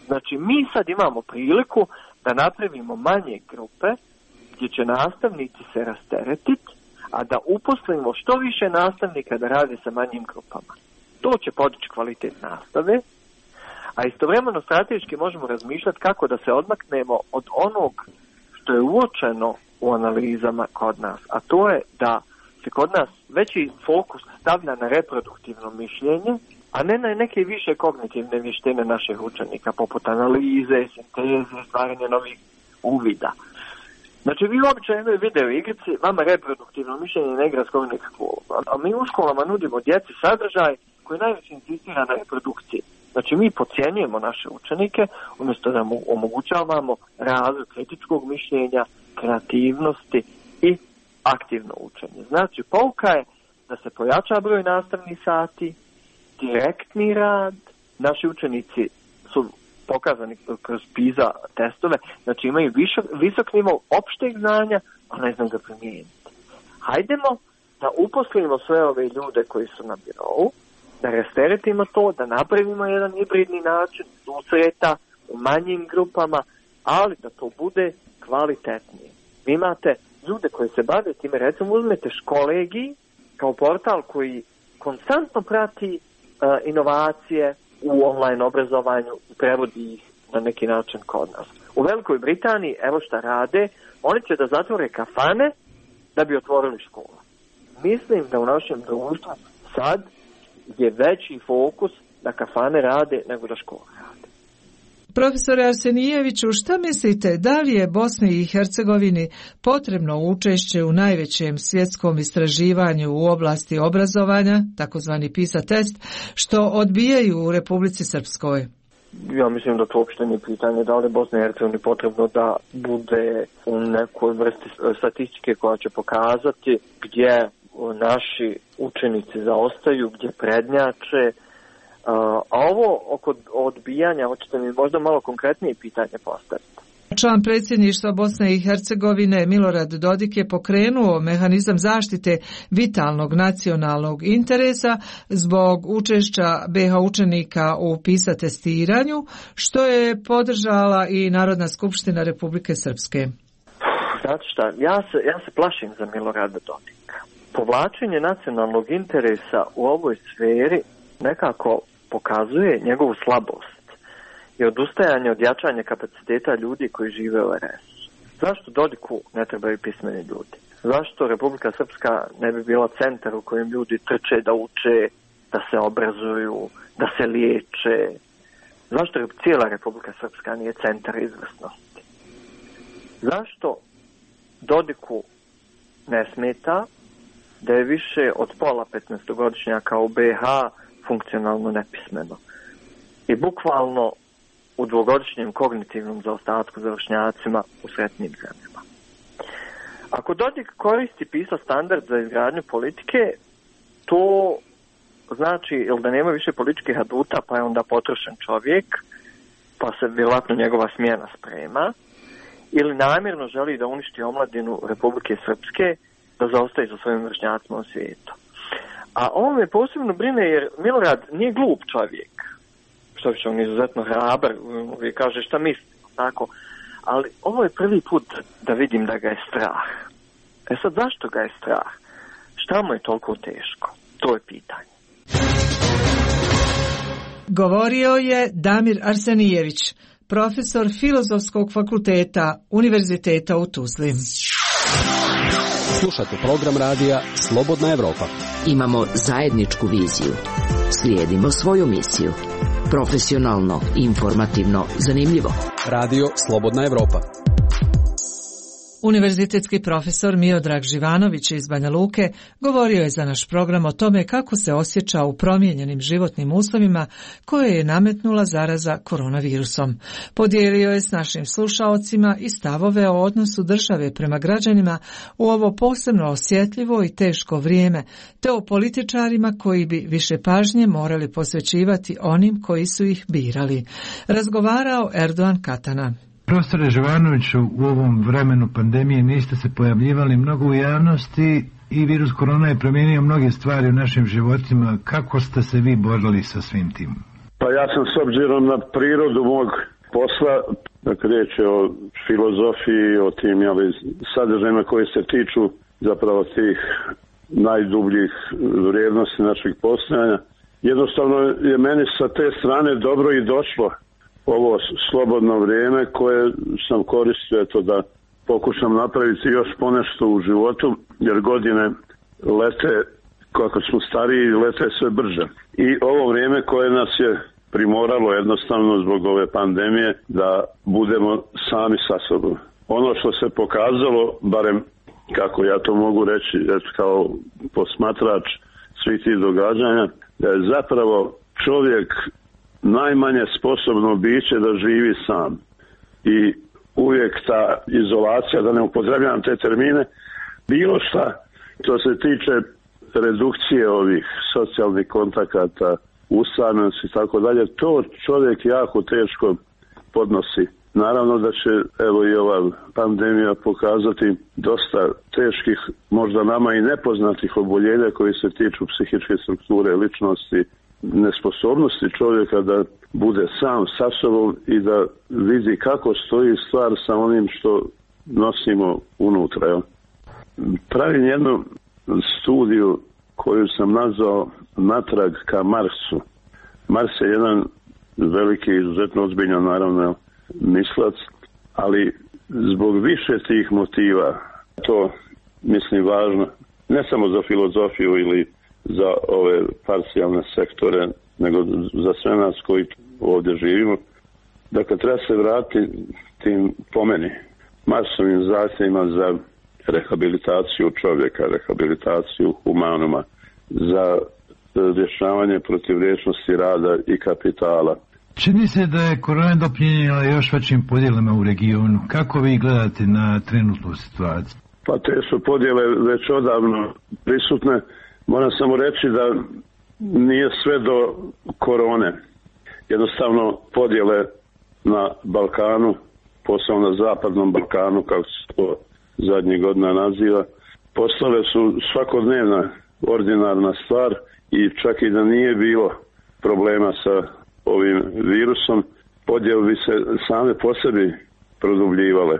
Znači, mi sad imamo priliku da napravimo manje grupe, gdje će nastavnici se rasteretiti, a da uposlimo što više nastavnika da radi sa manjim grupama. To će podići kvalitet nastave, a istovremeno strateški možemo razmišljati kako da se odmaknemo od onog što je uočeno u analizama kod nas, a to je da se kod nas veći fokus stavlja na reproduktivno mišljenje, a ne na neke više kognitivne vještine naših učenika, poput analize, sinteze, stvaranja novih uvida. Znači, vi obično jednoj video igrici, vama reproduktivno mišljenje ne igra skoro nikakvu ulogu, a mi u školama nudimo djeci sadržaj koji najviše insistira na reprodukciji. Znači, mi podcjenjujemo naše učenike umjesto da mu omogućavamo razvoj kritičkog mišljenja, kreativnosti i aktivno učenje. Znači, pouka je da se pojača broj nastavnih sati, direktni rad, naši učenici su pokazani kroz PISA testove, znači imaju visok, visok nivo opšteg znanja, a ne znam ga primijeniti. Hajdemo da uposlimo sve ove ljude koji su na birovu, da rasteretimo to, da napravimo jedan hibridni način susreta u manjim grupama, ali da to bude kvalitetnije. Vi imate ljude koji se bave time, recimo uzmete Školegi kao portal koji konstantno prati uh, inovacije u online obrazovanju i prevodi ih na neki način kod nas. U Velikoj Britaniji, evo šta rade, oni će da zatvore kafane da bi otvorili škole. Mislim da u našem društvu sad je veći fokus da kafane rade nego da škole rade. Profesore Arsenijeviću, šta mislite, da li je Bosni i Hercegovini potrebno učešće u najvećem svjetskom istraživanju u oblasti obrazovanja, takozvani PISA test, što odbijaju u Republici Srpskoj? Ja mislim da to uopšte nije pitanje da li Bosna i Hercegovina potrebno da bude u nekoj vrsti statistike koja će pokazati gdje naši učenici zaostaju, gdje prednjače. A ovo oko odbijanja, hoćete mi možda malo konkretnije pitanje postaviti? Član predsjedništva Bosne i Hercegovine Milorad Dodik je pokrenuo mehanizam zaštite vitalnog nacionalnog interesa zbog učešća be ha učenika u PISA testiranju, što je podržala i Narodna skupština Republike Srpske. Znate šta, ja se, ja se plašim za Milorada Dodika. Povlačenje nacionalnog interesa u ovoj sferi nekako pokazuje njegovu slabost i odustajanje od jačanja kapaciteta ljudi koji žive u er es. Zašto Dodiku ne trebaju pismeni ljudi? Zašto Republika Srpska ne bi bila centar u kojem ljudi trče da uče, da se obrazuju, da se liječe? Zašto cijela Republika Srpska nije centar izvrsnosti? Zašto Dodiku ne smeta da je više od pola petnaestogodišnjaka u be ha funkcionalno nepismeno i bukvalno u dvogodišnjem kognitivnom zaostatku za vršnjacima u sretnim zemljama? Ako Dodik koristi PISA standard za izgradnju politike, to znači ili da nema više političkih aduta, pa je onda potrošen čovjek, pa se vjerojatno njegova smjena sprema, ili namjerno želi da uništi omladinu Republike Srpske, da zaostaje za svojim vršnjacima u svijetu. A on me posebno brine jer Milorad nije glup čovjek, što više on je izuzetno hrabar, uvijek kaže šta misli, tako. Ali ovo je prvi put da vidim da ga je strah. E sad, zašto ga je strah? Šta mu je toliko teško? To je pitanje. Govorio je Damir Arsenijević, profesor Filozofskog fakulteta Univerziteta u Tuzli. Slušate program radija Slobodna Evropa. Imamo zajedničku viziju. Slijedimo svoju misiju. Profesionalno, informativno, zanimljivo. Radio Slobodna Evropa. Univerzitetski profesor Miodrag Živanović iz Banja Luke govorio je za naš program o tome kako se osjeća u promijenjenim životnim uslovima koje je nametnula zaraza koronavirusom. Podijelio je s našim slušaocima i stavove o odnosu države prema građanima u ovo posebno osjetljivo i teško vrijeme, te o političarima koji bi više pažnje morali posvećivati onim koji su ih birali. Razgovarao Erdogan Katana. Profesore Živanoviću, u ovom vremenu pandemije niste se pojavljivali mnogo u javnosti i virus korona je promijenio mnoge stvari u našim životima. Kako ste se vi borili sa svim tim? Pa ja sam s obzirom na prirodu mog posla, dakle riječ je o filozofiji, o tim jeli, sadržajima koji se tiču zapravo tih najdubljih vrijednosti našeg postojanja. Jednostavno je meni sa te strane dobro i došlo ovo slobodno vrijeme koje sam koristio eto da pokušam napraviti još ponešto u životu, jer godine lete, kako smo stariji, lete sve brže. I ovo vrijeme koje nas je primoralo jednostavno zbog ove pandemije da budemo sami sa sobom. Ono što se pokazalo, barem kako ja to mogu reći eto, kao posmatrač svih tih događanja, da je zapravo čovjek najmanje sposobno biće da živi sam. I uvijek ta izolacija, da ne upotrebljavam te termine, bilo šta, to se tiče redukcije ovih socijalnih kontakata, usamljenosti i tako dalje, to čovjek jako teško podnosi. Naravno da će evo i ova pandemija pokazati dosta teških, možda nama i nepoznatih oboljenja koji se tiču psihičke strukture ličnosti, nesposobnosti čovjeka da bude sam sa sobom i da vidi kako stoji stvar sa onim što nosimo unutra. Jo. Pravim jednu studiju koju sam nazvao Natrag ka Marsu. Mars je jedan veliki, izuzetno ozbiljan naravno mislac, ali zbog više tih motiva, to mislim važno, ne samo za filozofiju ili za ove parcijalne sektore, nego za sve nas koji ovdje živimo. Dakle, treba se vratiti tim, po meni, masovim zahtjevima za rehabilitaciju čovjeka, rehabilitaciju humanuma, za rješavanje protivrječnosti rada i kapitala, Čini se da je korona doprinijela još većim podjelama u regionu. Kako vi gledate na trenutnu situaciju? Pa te su podjele već odavno prisutne. Moram samo reći da nije sve do korone. Jednostavno podjele na Balkanu, posebno na zapadnom Balkanu, kako se to zadnjih godina naziva, postale su svakodnevna ordinarna stvar i čak i da nije bilo problema sa ovim virusom, podjele bi se same po sebi produbljivale.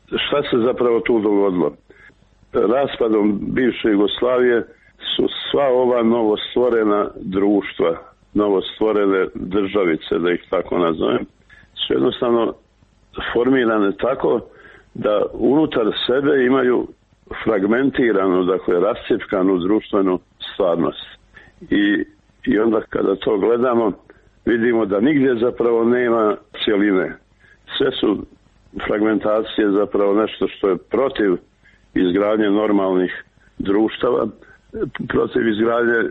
Šta se zapravo tu dogodilo? Raspadom bivše Jugoslavije su sva ova novostvorena društva, novostvorene državice, da ih tako nazovem, su jednostavno formirane tako da unutar sebe imaju fragmentiranu, dakle rascjepkanu društvenu stvarnost. I, i onda kada to gledamo, vidimo da nigdje zapravo nema cjeline. Sve su fragmentacije zapravo nešto što je protiv izgradnje normalnih društava, protiv izgradnje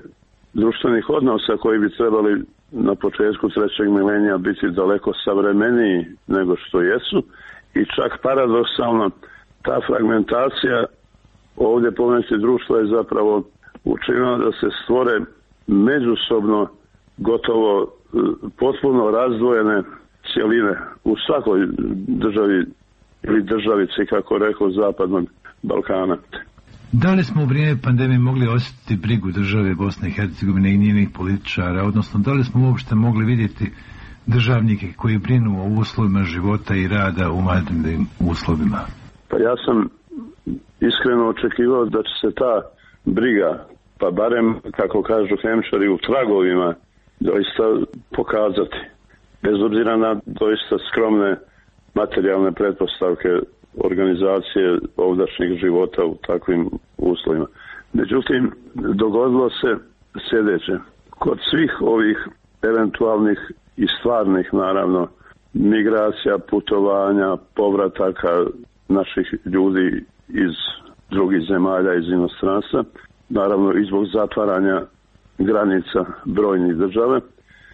društvenih odnosa koji bi trebali na početku trećeg milenija biti daleko savremeniji nego što jesu i čak paradoksalno ta fragmentacija ovdje pomenuti društva je zapravo učinila da se stvore međusobno gotovo potpuno razdvojene cjeline u svakoj državi ili državici, kako rekao, zapadnog Balkana. Da li smo u vrijeme pandemije mogli osjetiti brigu države Bosne i Hercegovine i njenih političara, odnosno da li smo uopšte mogli vidjeti državnike koji brinu o uslovima života i rada u vanrednim uslovima? Pa ja sam iskreno očekivao da će se ta briga, pa barem, kako kažu hemčari, u tragovima doista pokazati. Bez obzira na doista skromne materijalne pretpostavke organizacije ovdašnjih života u takvim uslovima. Međutim, dogodilo se sljedeće. Kod svih ovih eventualnih i stvarnih, naravno, migracija, putovanja, povrataka naših ljudi iz drugih zemalja, iz inostranstva, naravno i zbog zatvaranja granica brojnih država,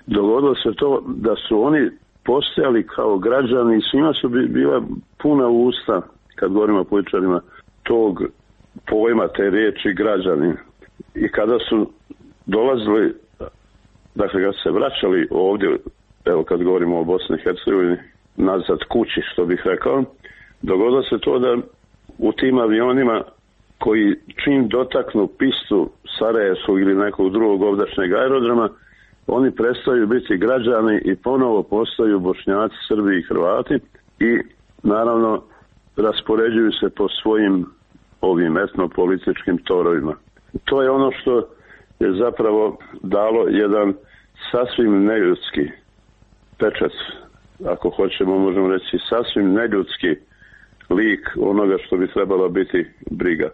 dogodilo se to da su oni postojali kao građani i svima su bila puna usta, kad govorimo o političarima, tog pojma, te riječi građani. I kada su dolazili, dakle kad se vraćali ovdje, evo kad govorimo o Bosni i Hercegovini, nazad kući, što bih rekao, dogodilo se to da u tim avionima koji čim dotaknu pistu Sarajevskog ili nekog drugog ovdašnjeg aerodroma, oni prestaju biti građani i ponovo postaju Bošnjaci, Srbi i Hrvati i naravno raspoređuju se po svojim ovim etnopolitičkim torovima. To je ono što je zapravo dalo jedan sasvim neljudski pečat, ako hoćemo možemo reći sasvim neljudski lik onoga što bi trebalo biti briga.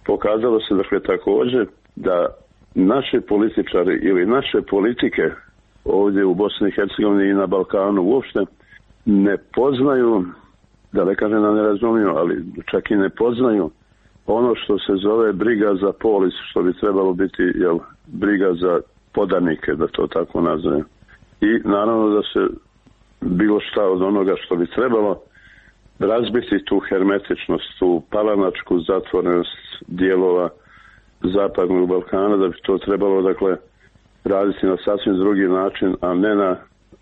Pokazalo se dakle također da naši političari ili naše politike ovdje u Bosni i Hercegovini i na Balkanu uopšte ne poznaju, da ne kažem da ne razumiju, ali čak i ne poznaju ono što se zove briga za polis, što bi trebalo biti jel, briga za podanike, da to tako nazovem. I naravno da se bilo šta od onoga što bi trebalo razbiti tu hermetičnost, tu palanačku zatvorenost dijelova zapadnog Balkana, da bi to trebalo dakle raditi na sasvim drugi način, a ne na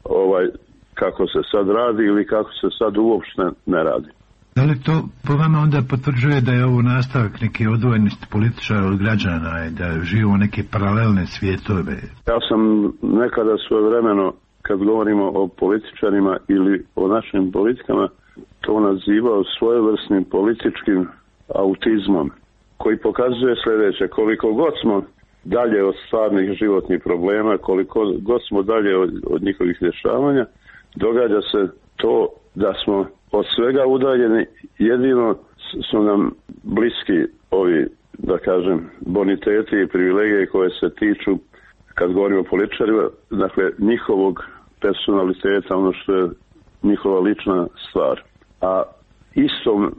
ovaj kako se sad radi ili kako se sad uopšte ne radi. Da li to po vama onda potvrđuje da je ovo nastavak neke odvojenosti političara od građana i da živimo neke paralelne svijetove? Ja sam nekada svojevremeno, kad govorimo o političarima ili o našim politikama, to nazivao svojevrsnim političkim autizmom, koji pokazuje sljedeće: koliko god smo dalje od stvarnih životnih problema, koliko god smo dalje od, od njihovih rješavanja, događa se to da smo od svega udaljeni, jedino su nam bliski ovi, da kažem, boniteti i privilegije koje se tiču, kad govorimo o političarima, dakle njihovog personaliteta, ono što je njihova lična stvar. A istom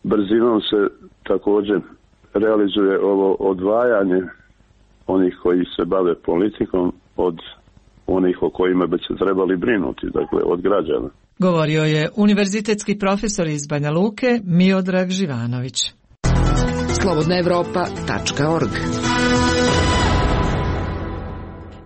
brzinom se također realizuje ovo odvajanje onih koji se bave politikom od onih o kojima bi se trebali brinuti, dakle od građana. Govorio je univerzitetski profesor iz Banja Luke Miodrag Živanović. slobodna evropa tačka org.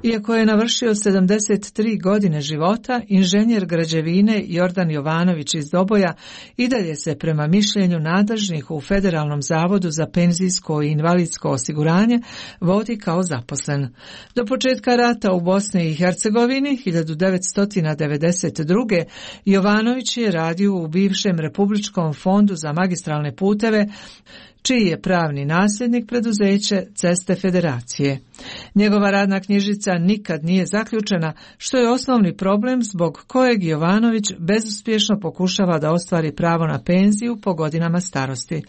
Iako je navršio sedamdeset tri godine života, inženjer građevine Jordan Jovanović iz Doboja i dalje se prema mišljenju nadležnih u Federalnom zavodu za penzijsko i invalidsko osiguranje vodi kao zaposlen. Do početka rata u Bosni i Hercegovini hiljadu devetsto devedeset druge. Jovanović je radio u bivšem Republičkom fondu za magistralne puteve, čiji je pravni nasljednik preduzeće Ceste Federacije. Njegova radna knjižica nikad nije zaključena, što je osnovni problem zbog kojeg Jovanović bezuspješno pokušava da ostvari pravo na penziju po godinama starosti.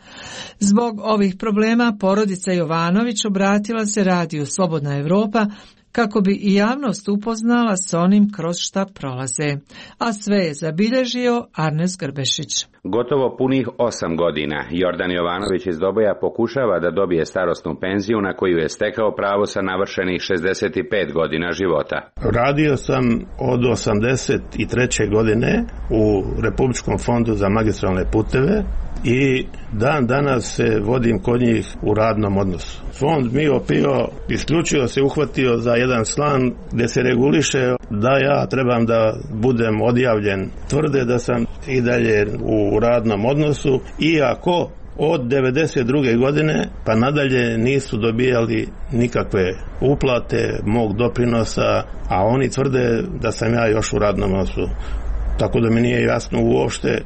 Zbog ovih problema porodica Jovanović obratila se radiju Slobodna Evropa kako bi i javnost upoznala s onim kroz šta prolaze. A sve je zabilježio Arnes Grbešić. Gotovo punih osam godina Jordan Jovanović iz Doboja pokušava da dobije starosnu penziju na koju je stekao pravo sa navršenih šezdeset pet godina života. Radio sam od osamdeset treće godine u Republičkom fondu za magistralne puteve i dan danas se vodim kod njih u radnom odnosu. Fond Mio Pio isključivo se uhvatio za jedan član gdje se reguliše da ja trebam da budem odjavljen. Tvrde da sam i dalje u radnom odnosu, iako od devedeset druge godine pa nadalje nisu dobijali nikakve uplate mog doprinosa, a oni tvrde da sam ja još u radnom odnosu. Tako da mi nije jasno uopšte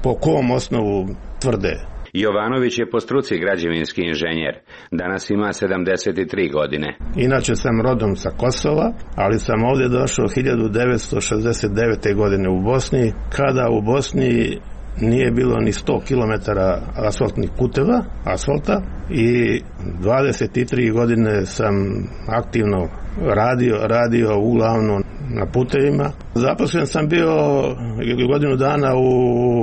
po kom osnovu tvrde. Jovanović je po struci građevinski inženjer. Danas ima sedamdeset tri godine. Inače sam rodom sa Kosova, ali sam ovdje došao hiljadu devetsto šezdeset devete. godine u Bosni, kada u Bosni nije bilo ni sto kilometara asfaltnih puteva, asfalta, i dvadeset tri godine sam aktivno radio, radio uglavnom na putevima. Zaposlen sam bio godinu dana u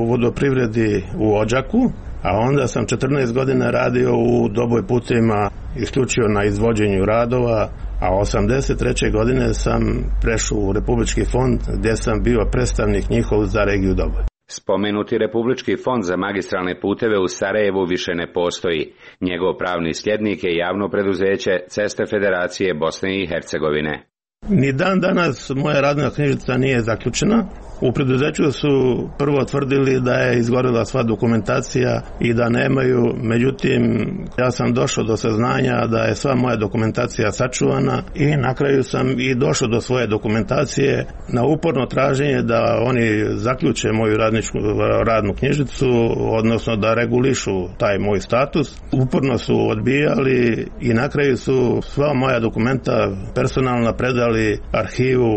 vodoprivredi u Odžaku, a onda sam četrnaest godina radio u Doboj putevima isključivo na izvođenju radova, a osamdeset treće. godine sam prešao u Republički fond gdje sam bio predstavnik njihov za regiju Doboj. Spomenuti Republički fond za magistralne puteve u Sarajevu više ne postoji. Njegov pravni sljednik je javno preduzeće Ceste Federacije Bosne i Hercegovine. Ni dan danas moja radna knjižica nije zaključena. U preduzeću su prvo tvrdili da je izgorila sva dokumentacija i da nemaju, međutim ja sam došao do saznanja da je sva moja dokumentacija sačuvana i na kraju sam i došao do svoje dokumentacije na uporno traženje da oni zaključe moju radničku, radnu knjižicu, odnosno da regulišu taj moj status. Uporno su odbijali i na kraju su sva moja dokumenta personalna predali arhivu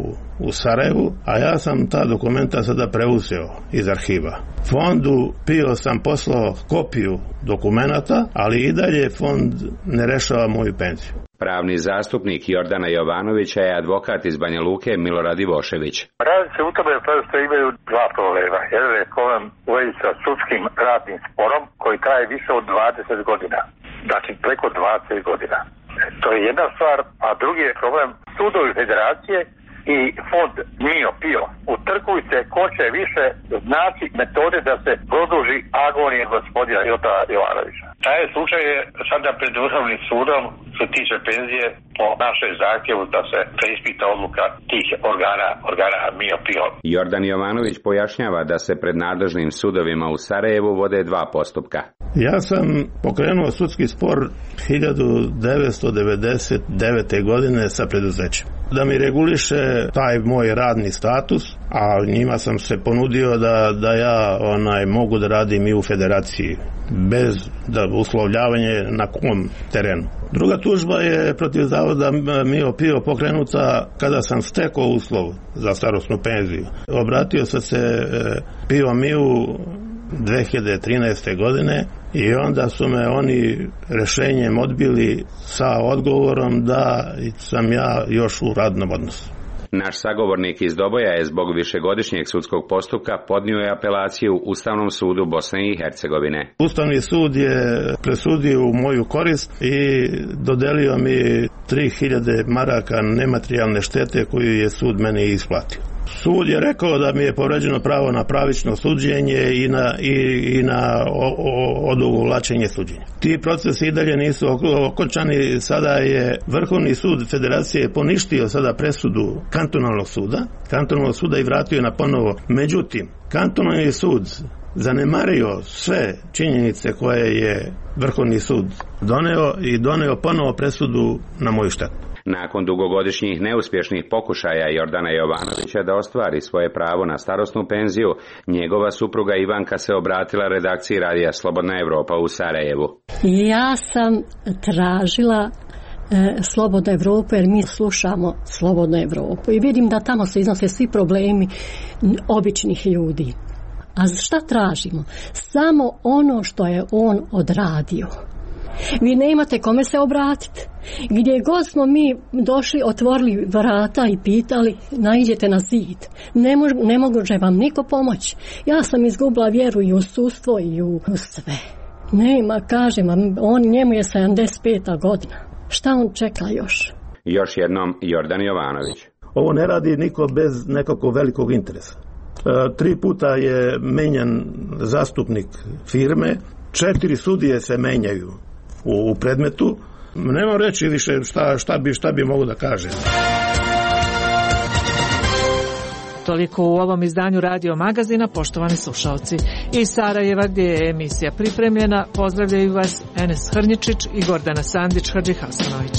u Sarajevu, a ja sam ta dokumenta sada preuzeo iz arhiva. Fondu Pio sam poslao kopiju dokumenata, ali i dalje fond ne rešava moju penziju. Pravni zastupnik Jordana Jovanovića je advokat iz Banja Luke Milorad Ivošević. Radi se u tome što imaju dva problema. Jedan je problem u vezi sa sudskim radnim sporom koji traje više od dvadeset godina. Znači preko dvadeset godina. To je jedna stvar, a drugi je problem sudovi federacije i fond Mio Pio. Utrkuju se ko će više znači metode da se produži agonije gospodina Jota Jovanovića. Taj slučaj je sada pred Vrhovnim sudom što se tiče penzije po našoj zahtjevu da se preispita odluka tih organa, organa Mio Pio. Jordan Jovanović pojašnjava da se pred nadležnim sudovima u Sarajevu vode dva postupka. Ja sam pokrenuo sudski spor hiljadu devetsto devedeset devete. godine sa preduzećem da mi reguliše taj moj radni status, a njima sam se ponudio da, da ja onaj mogu da radim i u federaciji bez da uslovljavanje na kom terenu. Druga tužba je protiv zavoda Mio Pio pokrenuta kada sam stekao uslov za starosnu penziju. Obratio sam se Pio Miju dve hiljade trinaeste. godine i onda su me oni rešenjem odbili sa odgovorom da sam ja još u radnom odnosu. Naš sagovornik iz Doboja je zbog višegodišnjeg sudskog postupka podnio je apelaciju Ustavnom sudu Bosne i Hercegovine. Ustavni sud je presudio u moju korist i dodelio mi tri hiljade maraka nematerijalne štete koju je sud meni isplatio. Sud je rekao da mi je povređeno pravo na pravično suđenje i na, i, i na odugovlačenje suđenja. Ti procesi i dalje nisu okončani. Sada je Vrhovni sud Federacije poništio sada presudu kantonalnog suda, kantonalnog suda i vratio na ponovo. Međutim, kantonalni sud zanemario sve činjenice koje je Vrhovni sud doneo i doneo ponovo presudu na moju štetu. Nakon dugogodišnjih neuspješnih pokušaja Jordana Jovanovića da ostvari svoje pravo na starosnu penziju, njegova supruga Ivanka se obratila redakciji radija Slobodna Evropa u Sarajevu. Ja sam tražila e, Slobodnu Evropu jer mi slušamo Slobodnu Evropu i vidim da tamo se iznose svi problemi običnih ljudi. A šta tražimo? Samo ono što je on odradio. Vi nemate kome se obratiti. Gdje god smo mi došli, otvorili vrata i pitali, naiđete na zid. Ne, mož, ne može vam niko pomoći. Ja sam izgubila vjeru i u sudstvo i u sve. Nema, kažem vam, on, njemu je sedamdeset peta godina. Šta on čeka još? Još jednom Jordan Jovanović. Ovo ne radi niko bez nekakvog velikog interesa. E, tri puta je menjan zastupnik firme, četiri sudije se menjaju u, u predmetu. Nemam reći više šta, šta bi, šta bi mogu da kažem. Toliko u ovom izdanju Radio Magazina, poštovani slušalci. Iz Sarajeva, gdje je emisija pripremljena, pozdravljaju vas Enes Hrnjičić i Gordana Sandić Hadžihasanović.